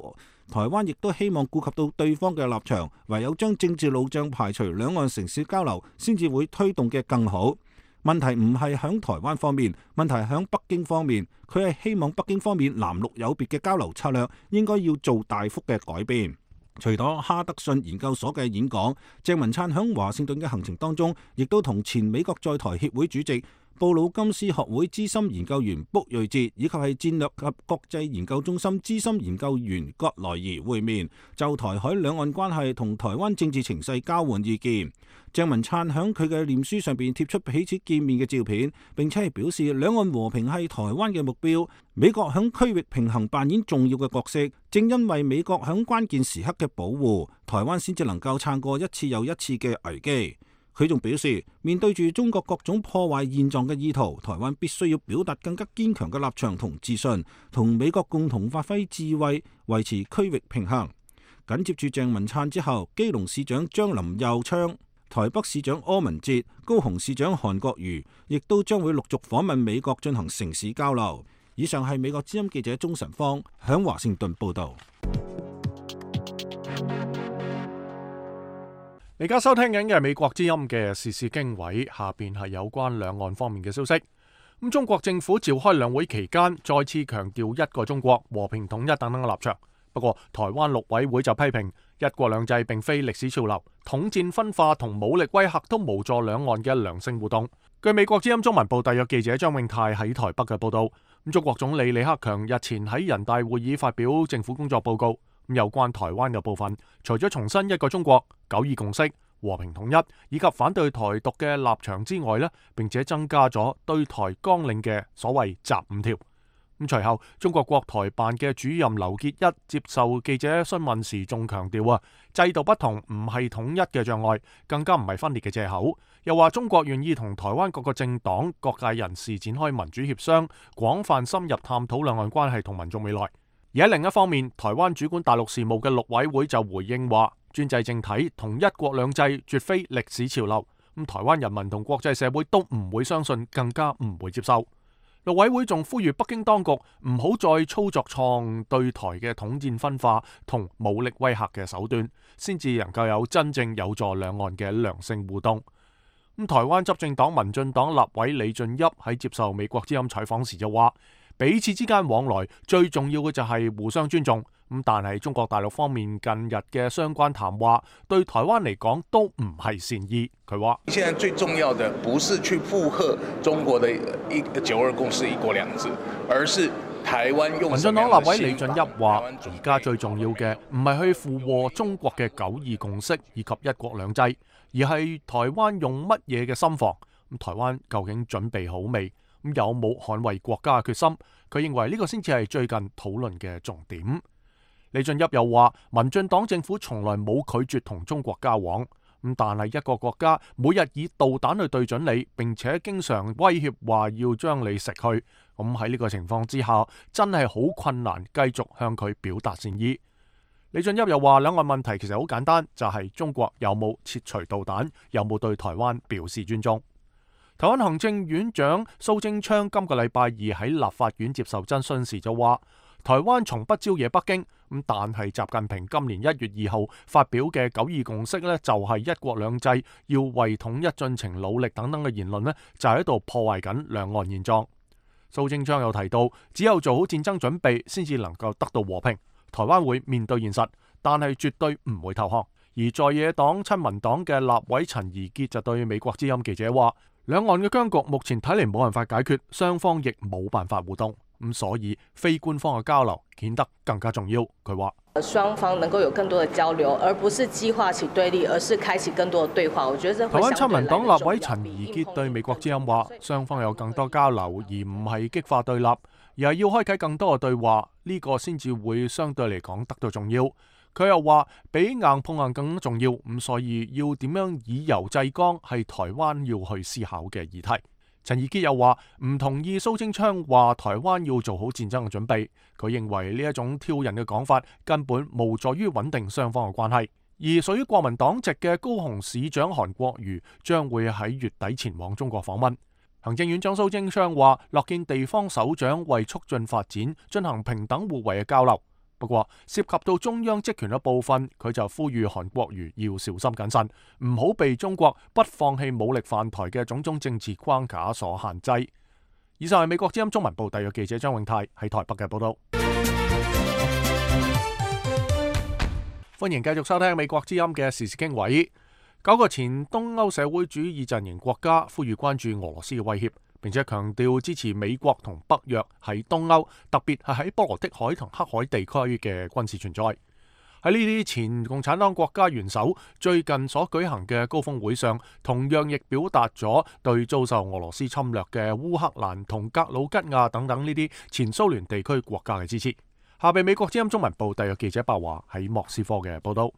E: 台灣亦都希望顧及到對方嘅立場，唯有將政治路障排除，兩岸城市交流先至會推動嘅更好。問題唔係響台灣方面，問題係響北京方面。佢係希望北京方面藍綠有別嘅交流策略應該要做大幅嘅改變。除咗哈德遜研究所嘅演講，鄭文燦響華盛頓嘅行程當中，亦都同前美國在台協會主席、布魯金斯學會資深研究員卜瑞哲以及係戰略及國際研究中心資深研究員葛萊儀會面，就台海兩岸關係同台灣政治情勢交換意見。鄭文燦響佢嘅臉書上邊貼出彼此見面嘅照片，並且係表示兩岸和平係台灣嘅目標，美國響區域平衡扮演重要嘅角色，正因為美國響關鍵時刻嘅保護，台灣先至能夠撐過一次又一次嘅危機。佢仲表示，面對住中國各種破壞現狀嘅意圖，台灣必須要表達更加堅強嘅立場同自信，同美國共同發揮智慧，維持區域平衡。緊接住鄭文燦之後，基隆市長張林右昌、台北市長柯文哲、高雄市長韓國瑜，亦都將會陸續訪問美國進行城市交流。以上係美國之音記者鍾晨芳響華盛頓報道。
A: 而家收聽緊嘅係美國之音嘅時事經緯，下邊係有關兩岸方面嘅消息。咁中國政府召開兩會期間，再次強調一個中國、和平統一等等嘅立場。不過，台灣陸委會就批評一國兩制並非歷史潮流，統戰分化同武力威嚇都無助兩岸嘅良性互動。據美國之音中文部特約記者張永泰喺台北嘅報道，咁中國總理李克強日前喺人大會議發表政府工作報告。咁有關台灣嘅部分，除咗重申一個中國、九二共識、和平統一以及反對台獨嘅立場之外呢，並且增加咗對台綱領嘅所謂集五條。咁隨後，中國國台辦嘅主任劉結一接受記者詢問時，仲強調啊，制度不同唔係統一嘅障礙，更加唔係分裂嘅藉口。又話中國願意同台灣各個政黨、各界人士展開民主協商，廣泛深入探討兩岸關係同民眾未來。而喺另一方面，台灣主管大陸事務嘅陸委會就回應話，專制政體同一國兩制絕非歷史潮流，咁台灣人民同國際社會都唔會相信，更加唔會接受。陸委會仲呼籲北京當局唔好再操作錯誤對台嘅統戰分化同武力威嚇嘅手段，先至能夠有真正有助兩岸嘅良性互動。咁台灣執政黨民進黨立委李俊俋喺接受美國之音採訪時就話，彼此之間往來最重要嘅就係互相尊重，咁但係中國大陸方面近日嘅相關談話對台灣嚟講都唔係善意。佢話：
B: 現在最重要的不是去附和中國的一九二共識一國兩制，而是台灣用。
A: 民進黨立委李俊俋話：而家最重要嘅唔係去附和中國嘅九二共識以及一國兩制，而係台灣用乜嘢嘅心防。咁台灣究竟準備好未？咁有冇捍衛國家嘅決心？佢認為呢個先至係最近討論嘅重點。李俊俋又話：民進黨政府從來冇拒絕同中國交往，咁但係一個國家每日以導彈去對準你，並且經常威脅話要將你食去，咁喺呢個情況之下，真係好困難繼續向佢表達善意。李俊俋又話：兩岸問題其實好簡單，就係中國有冇撤除導彈，有冇對台灣表示尊重。台灣行政院長蘇貞昌今個禮拜二喺立法院接受質詢時就話：台灣從不招惹北京，咁但係習近平今年一月二號發表嘅九二共識呢，就係一國兩制要為統一進程努力等等嘅言論呢，就喺度破壞緊兩岸現狀。蘇貞昌又提到，只有做好戰爭準備，先至能夠得到和平。台灣會面對現實，但係絕對唔會投降。而在野黨親民黨嘅立委陳怡傑就對美國之音記者話：兩岸嘅僵局目前睇嚟冇辦法解決，雙方亦冇辦法互動，咁所以非官方嘅交流顯得更加重要。佢話：
I: 雙方能夠有更多的交流，而不是激化起對立，而是開啟更多的對話。我覺得台
A: 灣親民黨立委陳怡潔對美國之音話：雙方有更多交流，而唔係激化對立，而係要開啟更多嘅對話，呢、這個先至會相對嚟講得到重要。佢又話：比硬碰硬更重要，咁所以要點樣以柔制剛係台灣要去思考嘅議題。陳怡潔又話唔同意蘇貞昌話台灣要做好戰爭嘅準備，佢認為呢一種挑釁嘅講法根本無助於穩定雙方嘅關係。而屬於國民黨籍嘅高雄市長韓國瑜將會喺月底前往中國訪問。行政院長蘇貞昌話樂見地方首長為促進發展進行平等互惠嘅交流。不過涉及到中央職權嘅部分，佢就呼籲韓國瑜要小心謹慎，唔好被中國不放棄武力犯台嘅種種政治框架所限制。以上係美國之音中文部特約記者張永泰喺台北嘅報道。歡迎繼續收聽美國之音嘅時事經緯。九個前東歐社會主義陣營國家呼籲關注俄羅斯嘅威脅，並且強調支持美國同北約喺東歐，特別係喺波羅的海同黑海地區嘅軍事存在。喺呢啲前共產黨國家元首最近所舉行嘅高峰會上，同樣亦表達咗對遭受俄羅斯侵略嘅烏克蘭同格魯吉亞等等呢啲前蘇聯地區國家嘅支持。下邊美國之音中文部特約記者白華喺莫斯科嘅報道。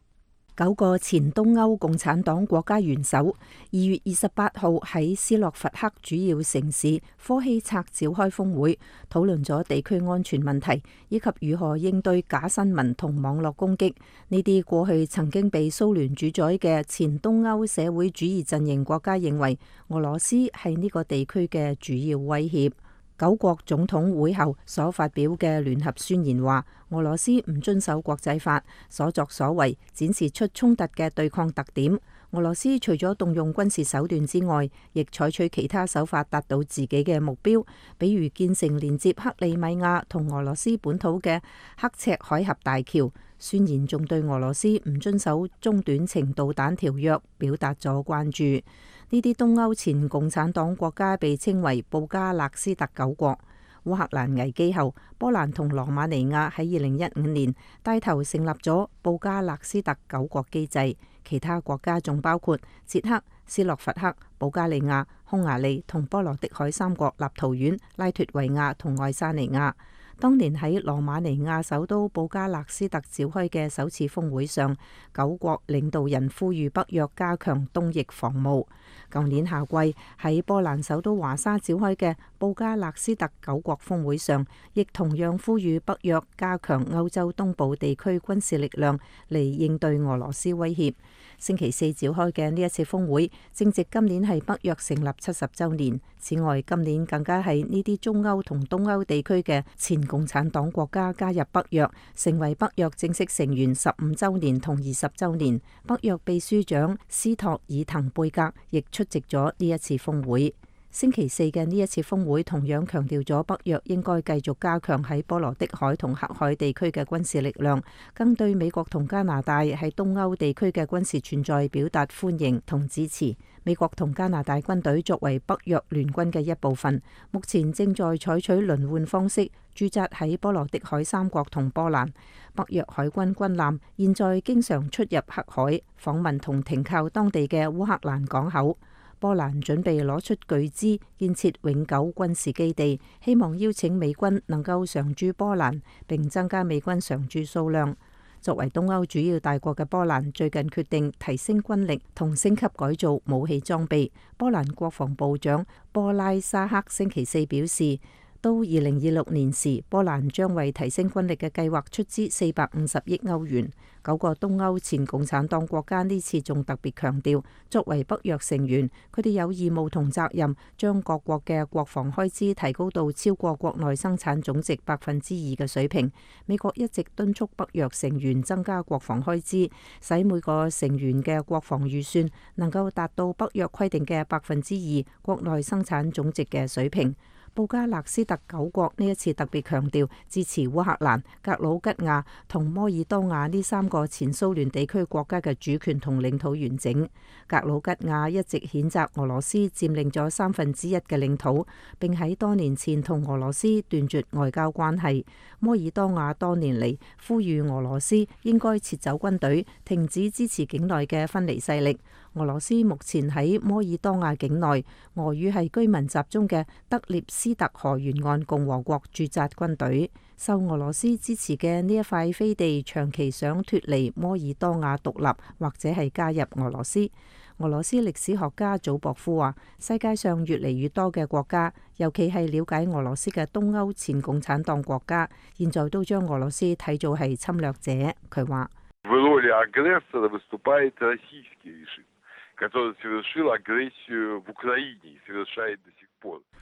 F: 九個前東歐共產黨國家元首二月二十八號喺斯洛伐克主要城市科希策召開峰會，討論咗地區安全問題，以及如何應對假新聞同網絡攻擊。呢啲過去曾經被蘇聯主宰嘅前東歐社會主義陣營國家認為俄羅斯係呢個地區嘅主要威脅。九國總統會後所發表嘅聯合宣言話，俄羅斯唔遵守國際法，所作所為展示出衝突嘅對抗特點。俄羅斯除咗動用軍事手段之外，亦採取其他手法達到自己嘅目標，比如建成連接克里米亞同俄羅斯本土嘅刻赤海峽大橋。宣言仲對俄羅斯唔遵守中短程導彈條約表達咗關注。呢啲東歐前共產黨國家被稱為布加勒斯特九國。烏克蘭危機後，波蘭同羅馬尼亞喺二零一五年帶頭成立咗布加勒斯特九國機制，其他國家仲包括捷克、斯洛伐克、保加利亞、匈牙利同波羅的海三國立陶宛、拉脫維亞同愛沙尼亞。當年喺羅馬尼亞首都布加勒斯特召開嘅首次峰會上，九國領導人呼籲北約加強東翼防務。舊年夏季喺波蘭首都華沙召開嘅布加勒斯特九國峰會上，亦同樣呼籲北約加強歐洲東部地區軍事力量嚟應對俄羅斯威脅。星期四召開嘅呢一次峰會，正值今年係北約成立七十週年。此外，今年更加係呢啲中歐同東歐地區嘅前共產黨國家加入北約，成為北約正式成員十五週年同二十週年。北約秘書長斯托爾滕貝格亦出席咗呢一次峰會。星期四嘅呢一次峰會同樣強調咗北約應該繼續加強喺波羅的海同黑海地區嘅軍事力量，更對美國同加拿大喺東歐地區嘅軍事存在表達歡迎同支持。美國同加拿大軍隊作為北約聯軍嘅一部分，目前正在採取輪換方式駐紮喺波羅的海三國同波蘭。北約海軍軍艦現在經常出入黑海，訪問同停靠當地嘅烏克蘭港口。波蘭準備攞出巨資建設永久軍事基地，希望邀請美軍能夠常駐波蘭，並增加美軍常駐數量。作為東歐主要大國嘅波蘭，最近決定提升軍力同升級改造武器裝備。波蘭國防部長波拉沙克星期四表示，到二零二六年時，波蘭將為提升軍力嘅計劃出資四百五十億歐元。九個東歐前共產黨國家呢次仲特別強調，作為北約成員，佢哋有義務同責任將各國嘅國防開支提高到超過國內生產總值百分之二嘅水平。美國一直敦促北約成員增加國防開支，使每個成員嘅國防預算能夠達到北約規定嘅百分之二國內生產總值嘅水平。布加勒斯特九國呢一次特別強調支持烏克蘭、格魯吉亞同摩爾多瓦呢三個前蘇聯地區國家嘅主權同領土完整。格魯吉亞一直譴責俄羅斯佔領咗三分之一嘅領土，並喺多年前同俄羅斯斷絕外交關係。摩爾多瓦多年嚟呼籲俄羅斯應該撤走軍隊，停止支持境內嘅分離勢力。俄羅斯目前喺摩爾多瓦境內，俄語係居民集中嘅德涅斯特河沿岸共和國駐紮軍隊。受俄羅斯支持嘅呢一塊飛地，長期想脫離摩爾多瓦獨立，或者係加入俄羅斯。俄羅斯歷史學家祖博夫話：世界上越嚟越多嘅國家，尤其係了解俄羅斯嘅東歐前共產黨國家，現在都將俄羅斯睇做係侵略者。佢話：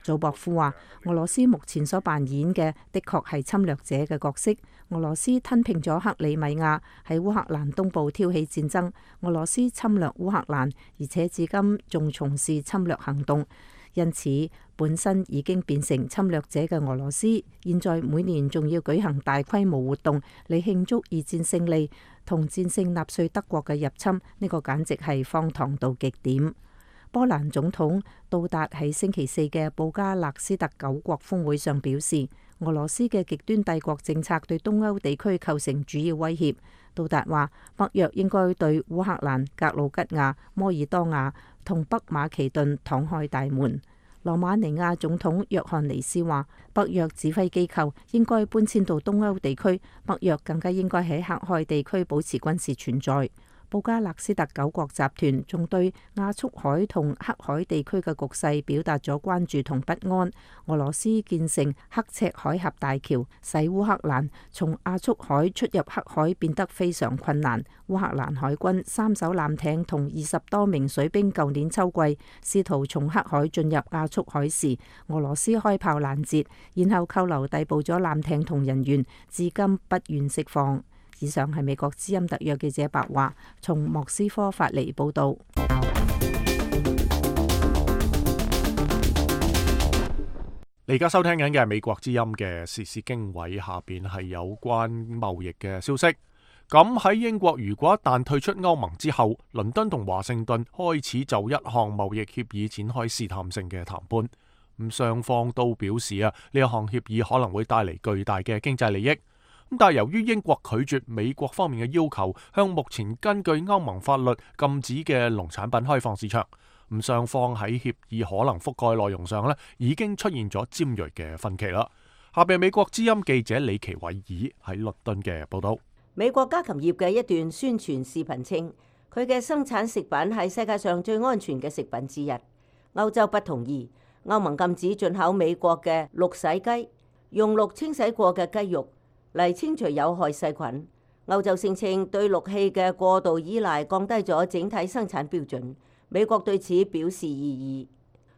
F: 祖博夫話：俄羅斯目前所扮演嘅的確係侵略者嘅角色。俄羅斯吞併咗克里米亞，喺烏克蘭東部挑起戰爭。俄羅斯侵略烏克蘭，而且至今仲從事侵略行動。因此，本身已經變成侵略者嘅俄羅斯，現在每年仲要舉行大規模活動嚟慶祝二戰勝利同戰勝納粹德國嘅入侵，呢個簡直係荒唐到極點。波蘭總統杜達喺星期四嘅布加勒斯特九國峰會上表示，俄羅斯嘅極端帝國政策對東歐地區構成主要威脅。杜達話，北約應該對烏克蘭、格魯吉亞、摩爾多瓦同北馬其頓敞開大門。羅馬尼亞總統約翰尼斯話，北約指揮機構應該搬遷到東歐地區，北約更加應該喺黑海地區保持軍事存在。布加勒斯特九國集團仲對亞速海同黑海地區嘅局勢表達咗關注同不安。俄羅斯建成刻赤海峽大橋，使烏克蘭從亞速海出入黑海變得非常困難。烏克蘭海軍三艘艦艇同二十多名水兵舊年秋季試圖從黑海進入亞速海時，俄羅斯開炮攔截，然後扣留逮捕咗艦艇同人員，至今不願釋放。以上係美國之音特約記者白話從莫斯科發嚟報道。
A: 你而家收聽緊嘅係美國之音嘅時事經緯，下邊係有關貿易嘅消息。咁喺英國，如果一旦退出歐盟之後，倫敦同華盛頓開始就一項貿易協議展開試探性嘅談判。咁雙方都表示啊，呢一項協議可能會帶嚟巨大嘅經濟利益。但係由於英國拒絕美國方面嘅要求，向目前根據歐盟法律禁止嘅農產品開放市場，咁雙方喺協議可能覆蓋內容上咧，已經出現咗尖銳嘅分歧啦。下邊美國之音記者李奇偉爾喺倫敦嘅報道。
G: 美國家禽業嘅一段宣傳視頻稱，佢嘅生產食品係世界上最安全嘅食品之一。歐洲不同意，歐盟禁止進口美國嘅氯洗雞，用氯清洗過嘅雞肉嚟清除有害細菌。歐洲聲稱對氯氣嘅過度依賴降低咗整體生產標準。美國對此表示異議。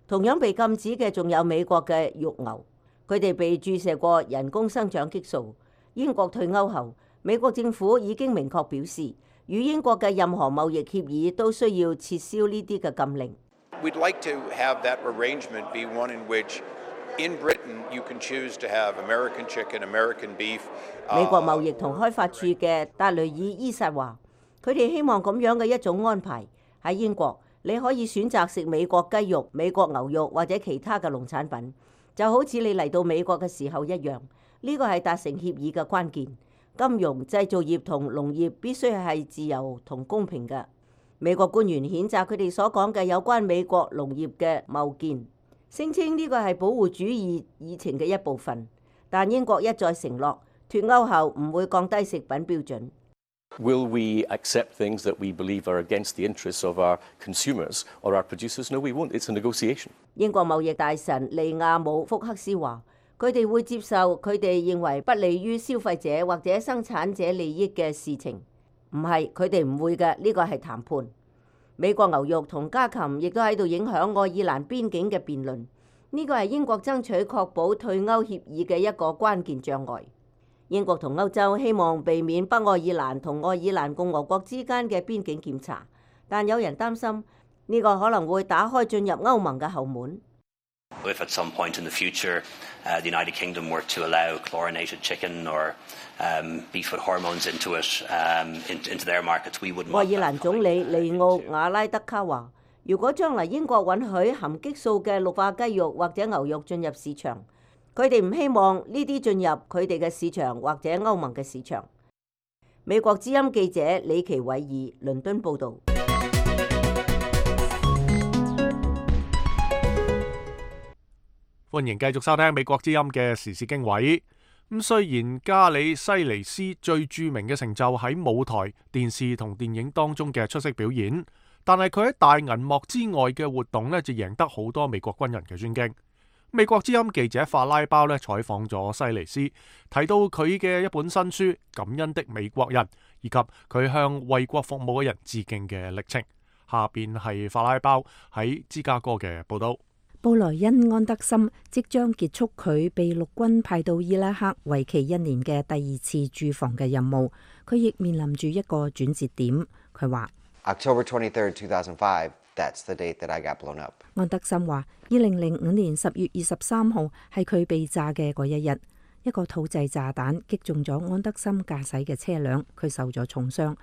G: 同樣被禁止嘅仲有美國嘅肉牛，佢哋被注射過人工生長激素。英國退歐後，美國政府已經明確表示，與英國嘅任何貿易協議都需要撤銷呢啲嘅禁令。
J: We'd like to have that arrangement be one in which in Britain you can choose to have American chicken, American beef.
G: 美國貿易同開發處嘅達雷爾伊薩話，佢哋希望咁樣嘅一種安排喺英國，你可以選擇食美國雞肉、美國牛肉或者其他嘅農產品，就好似你嚟到美國嘅時候一樣。呢個係達成協議嘅關鍵。金融、製造業同農業必須係自由同公平嘅。美國官員譴責佢哋所講嘅有關美國農業嘅謬見，聲稱呢個係保護主義議程嘅一部分。但英國一再承諾，脫歐後唔會降低食品標準。
K: Will we accept things that we believe are against the interests of our consumers or our producers? No, we won't. It's a negotiation.
G: 英國貿易大臣利亞姆福克斯話，佢哋會接受佢哋認為不利於消費者或者生產者利益嘅事情。唔係，佢哋唔會嘅，呢個係談判。美國牛肉同家禽亦都喺度影響愛爾蘭邊境嘅辯論。呢個係英國爭取確保退歐協議嘅一個關鍵障礙。英國同歐洲希望避免北愛爾蘭同愛爾蘭共和國之間嘅邊境檢查，但有人擔心呢個可能會打開進入歐盟嘅後門。
L: If at some point in the future, uh, the United Kingdom were to allow chlorinated chicken or um, beef with hormones into it, um, in, into their markets, we wouldn't want that.
G: 愛爾蘭總理利奧瓦拉德卡話：如果將來英國允許含激素嘅綠化雞肉或者牛肉進入市場，佢哋唔希望呢啲進入佢哋嘅市場或者歐盟嘅市場。美國之音記者李奇偉儀倫敦報導。
A: 歡迎繼續收聽美國之音嘅時事經緯。咁雖然加里西尼斯最著名嘅成就喺舞台、電視同電影當中嘅出色表演，但係佢喺大銀幕之外嘅活動呢，就贏得好多美國軍人嘅尊敬。美國之音記者法拉包呢採訪咗西尼斯，提到佢嘅一本新書《感恩的美國人》，以及佢向為國服務嘅人致敬嘅歷程。下邊係法拉包喺芝加哥嘅報道。
F: 布萊恩安德森即將結束佢被陸軍派到伊拉克為期一年嘅第二次駐防嘅任務，佢亦面臨住一個轉折點。佢話
M: ：October twenty-third, two thousand five, that's the date that I got blown up。
F: 安德森話：二零零五年十月二十三號係佢被炸嘅嗰一日，一個土製炸彈擊中咗安德森駕駛嘅車輛，佢受咗重傷，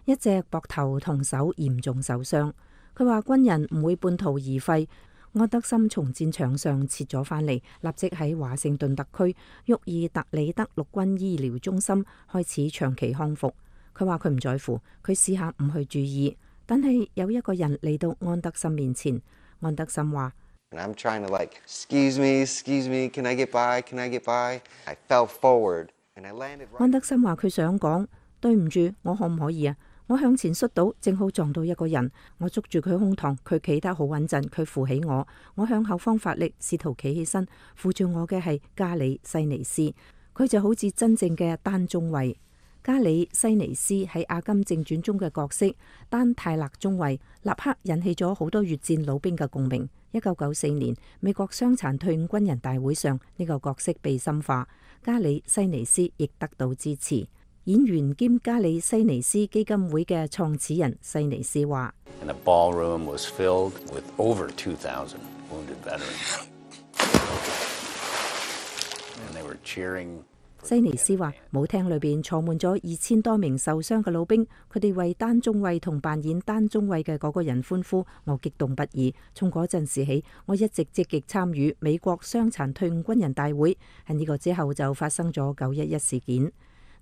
F: 一隻膊頭同手嚴重受傷。佢話軍人唔會半途而廢。安德森從戰場上撤咗返嚟，立即喺華盛頓特區沃爾特里德陸軍醫療中心開始長期康復。佢話佢唔在乎，佢試下唔去注意，但係有一個人嚟到安德森面前。安德森話
M: ：I'm trying to like, excuse me, excuse me, can I get by? Can I get by? I fell forward and I landed.
F: 安德森話佢想講對唔住，我可唔可以啊？我向前摔倒，正好撞到一個人，我捉住佢胸膛，佢企得好穩陣，佢扶起我，我向後方發力，試圖企起身，扶住我嘅係加里西尼斯，佢就好似真正嘅丹中尉。加里西尼斯喺《阿甘正傳》中嘅角色丹泰勒中尉，立刻引起咗好多越戰老兵嘅共鳴。一九九四年美國傷殘退伍軍人大會上，呢個角色被深化，加里西尼斯亦得到支持。演員兼加里西尼斯基金會嘅創始人西尼斯話：西尼斯話舞廳裏邊坐滿咗二千多名受傷嘅老兵，佢哋為丹中尉同扮演丹中尉嘅嗰個人歡呼，我激動不已。從嗰陣時起，我一直積極參與美國傷殘退伍軍人大會。喺呢個之後就發生咗九一一事件。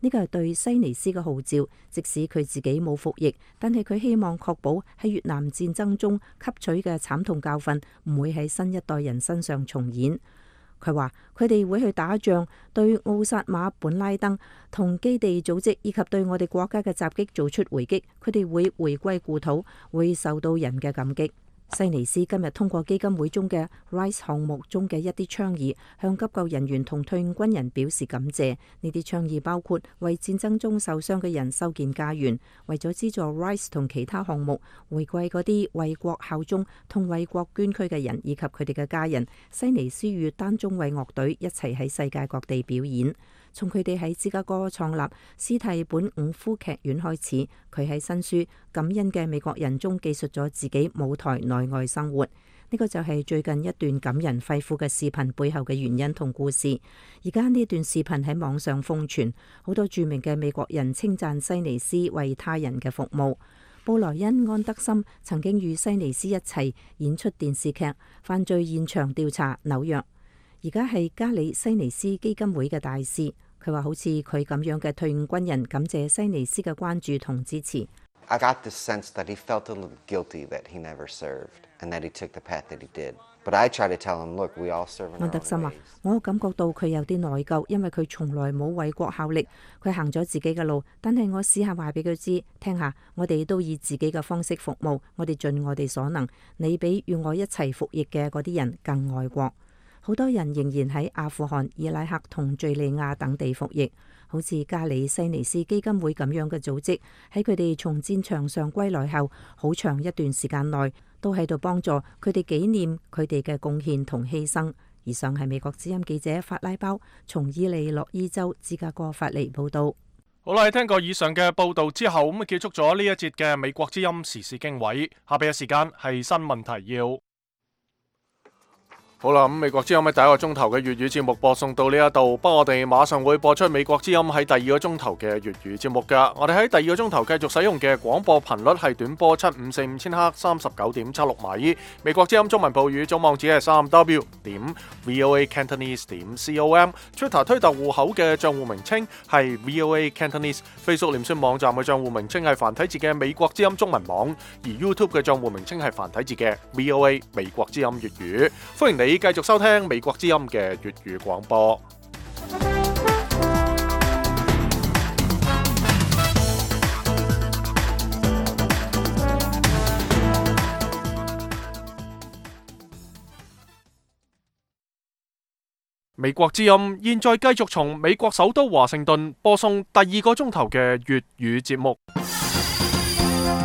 F: 呢個係對西尼斯嘅號召，即使佢自己冇服役，但係佢希望確保喺越南戰爭中吸取嘅慘痛教訓唔會喺新一代人身上重演。佢話佢哋會去打仗，對奧薩馬本拉登同基地組織以及對我哋國家嘅襲擊做出回擊，佢哋會回歸故土，會受到人嘅感激。西尼斯今日通過基金會中嘅 RISE 項目中嘅一啲倡議，向急救人員同退伍軍人表示感謝。呢啲倡議包括為戰爭中受傷嘅人修建家園，為咗資助 RISE 同其他項目，回饋嗰啲為國效忠同為國捐軀嘅人以及佢哋嘅家人。西尼斯與丹中尉樂隊一齊喺世界各地表演。從佢哋喺芝加哥創立斯蒂本伍夫劇院開始，佢喺新書《感恩嘅美國人》中記述咗自己舞台內外生活。呢個就係最近一段感人肺腑嘅視頻背後嘅原因同故事。而家呢段視頻喺網上瘋傳，好多著名嘅美國人稱讚西尼斯為他人嘅服務。布萊恩安德森曾經與西尼斯一齊演出電視劇《犯罪現場調查紐約》，而家係加里西尼斯基金會嘅大使。佢話好似佢咁樣嘅退伍軍人感謝西尼斯嘅關注同支持。
M: I got the sense that he felt a little guilty that he never served and that he took the path that he did. But I try to tell him, look, we all serve in our own ways. 安德森話：我感覺到佢有啲內疚，因為佢從來冇為國效力，佢行咗自己嘅路。但係我試下話俾佢知，聽下，我哋都以自己嘅方式服務，我哋盡我哋所能。你比與我一齊服役嘅嗰啲人更愛國。好多人仍然喺阿富汗、伊拉克同敘利亞等地服役，好似加里西尼斯基金會咁樣嘅組織，喺佢哋從戰場上歸來後，好長一段時間內都喺度幫助佢哋紀念佢哋嘅貢獻同犧牲。以上係美國之音記者法拉包從伊利諾伊州芝加哥發嚟報道。
A: 好啦，聽過以上嘅報道之後，咁啊結束咗呢一節嘅美國之音時事經緯。下邊嘅時間係新聞提要。好啦，咁美國之音喺第一個鐘頭嘅粵語節目播送到呢一度，不過我哋馬上會播出美國之音喺第二個鐘頭嘅粵語節目噶。我哋喺第二個鐘頭繼續使用嘅廣播頻率係短波七五四五千赫三十九點七六米。美國之音中文部語總網址係三 w 點 voa cantonese 點 com。Twitter 推特戶口嘅賬戶名稱係 voa cantonese。Facebook 臉書網站嘅賬戶名稱係繁體字嘅美國之音中文網，而 YouTube 嘅賬戶名稱係繁體字嘅 voa 美國之音粵語。歡迎你繼續收聽美國之音嘅粵語廣播。美國之音現在繼續從美國首都華盛頓播送第二個鐘頭嘅粵語節目。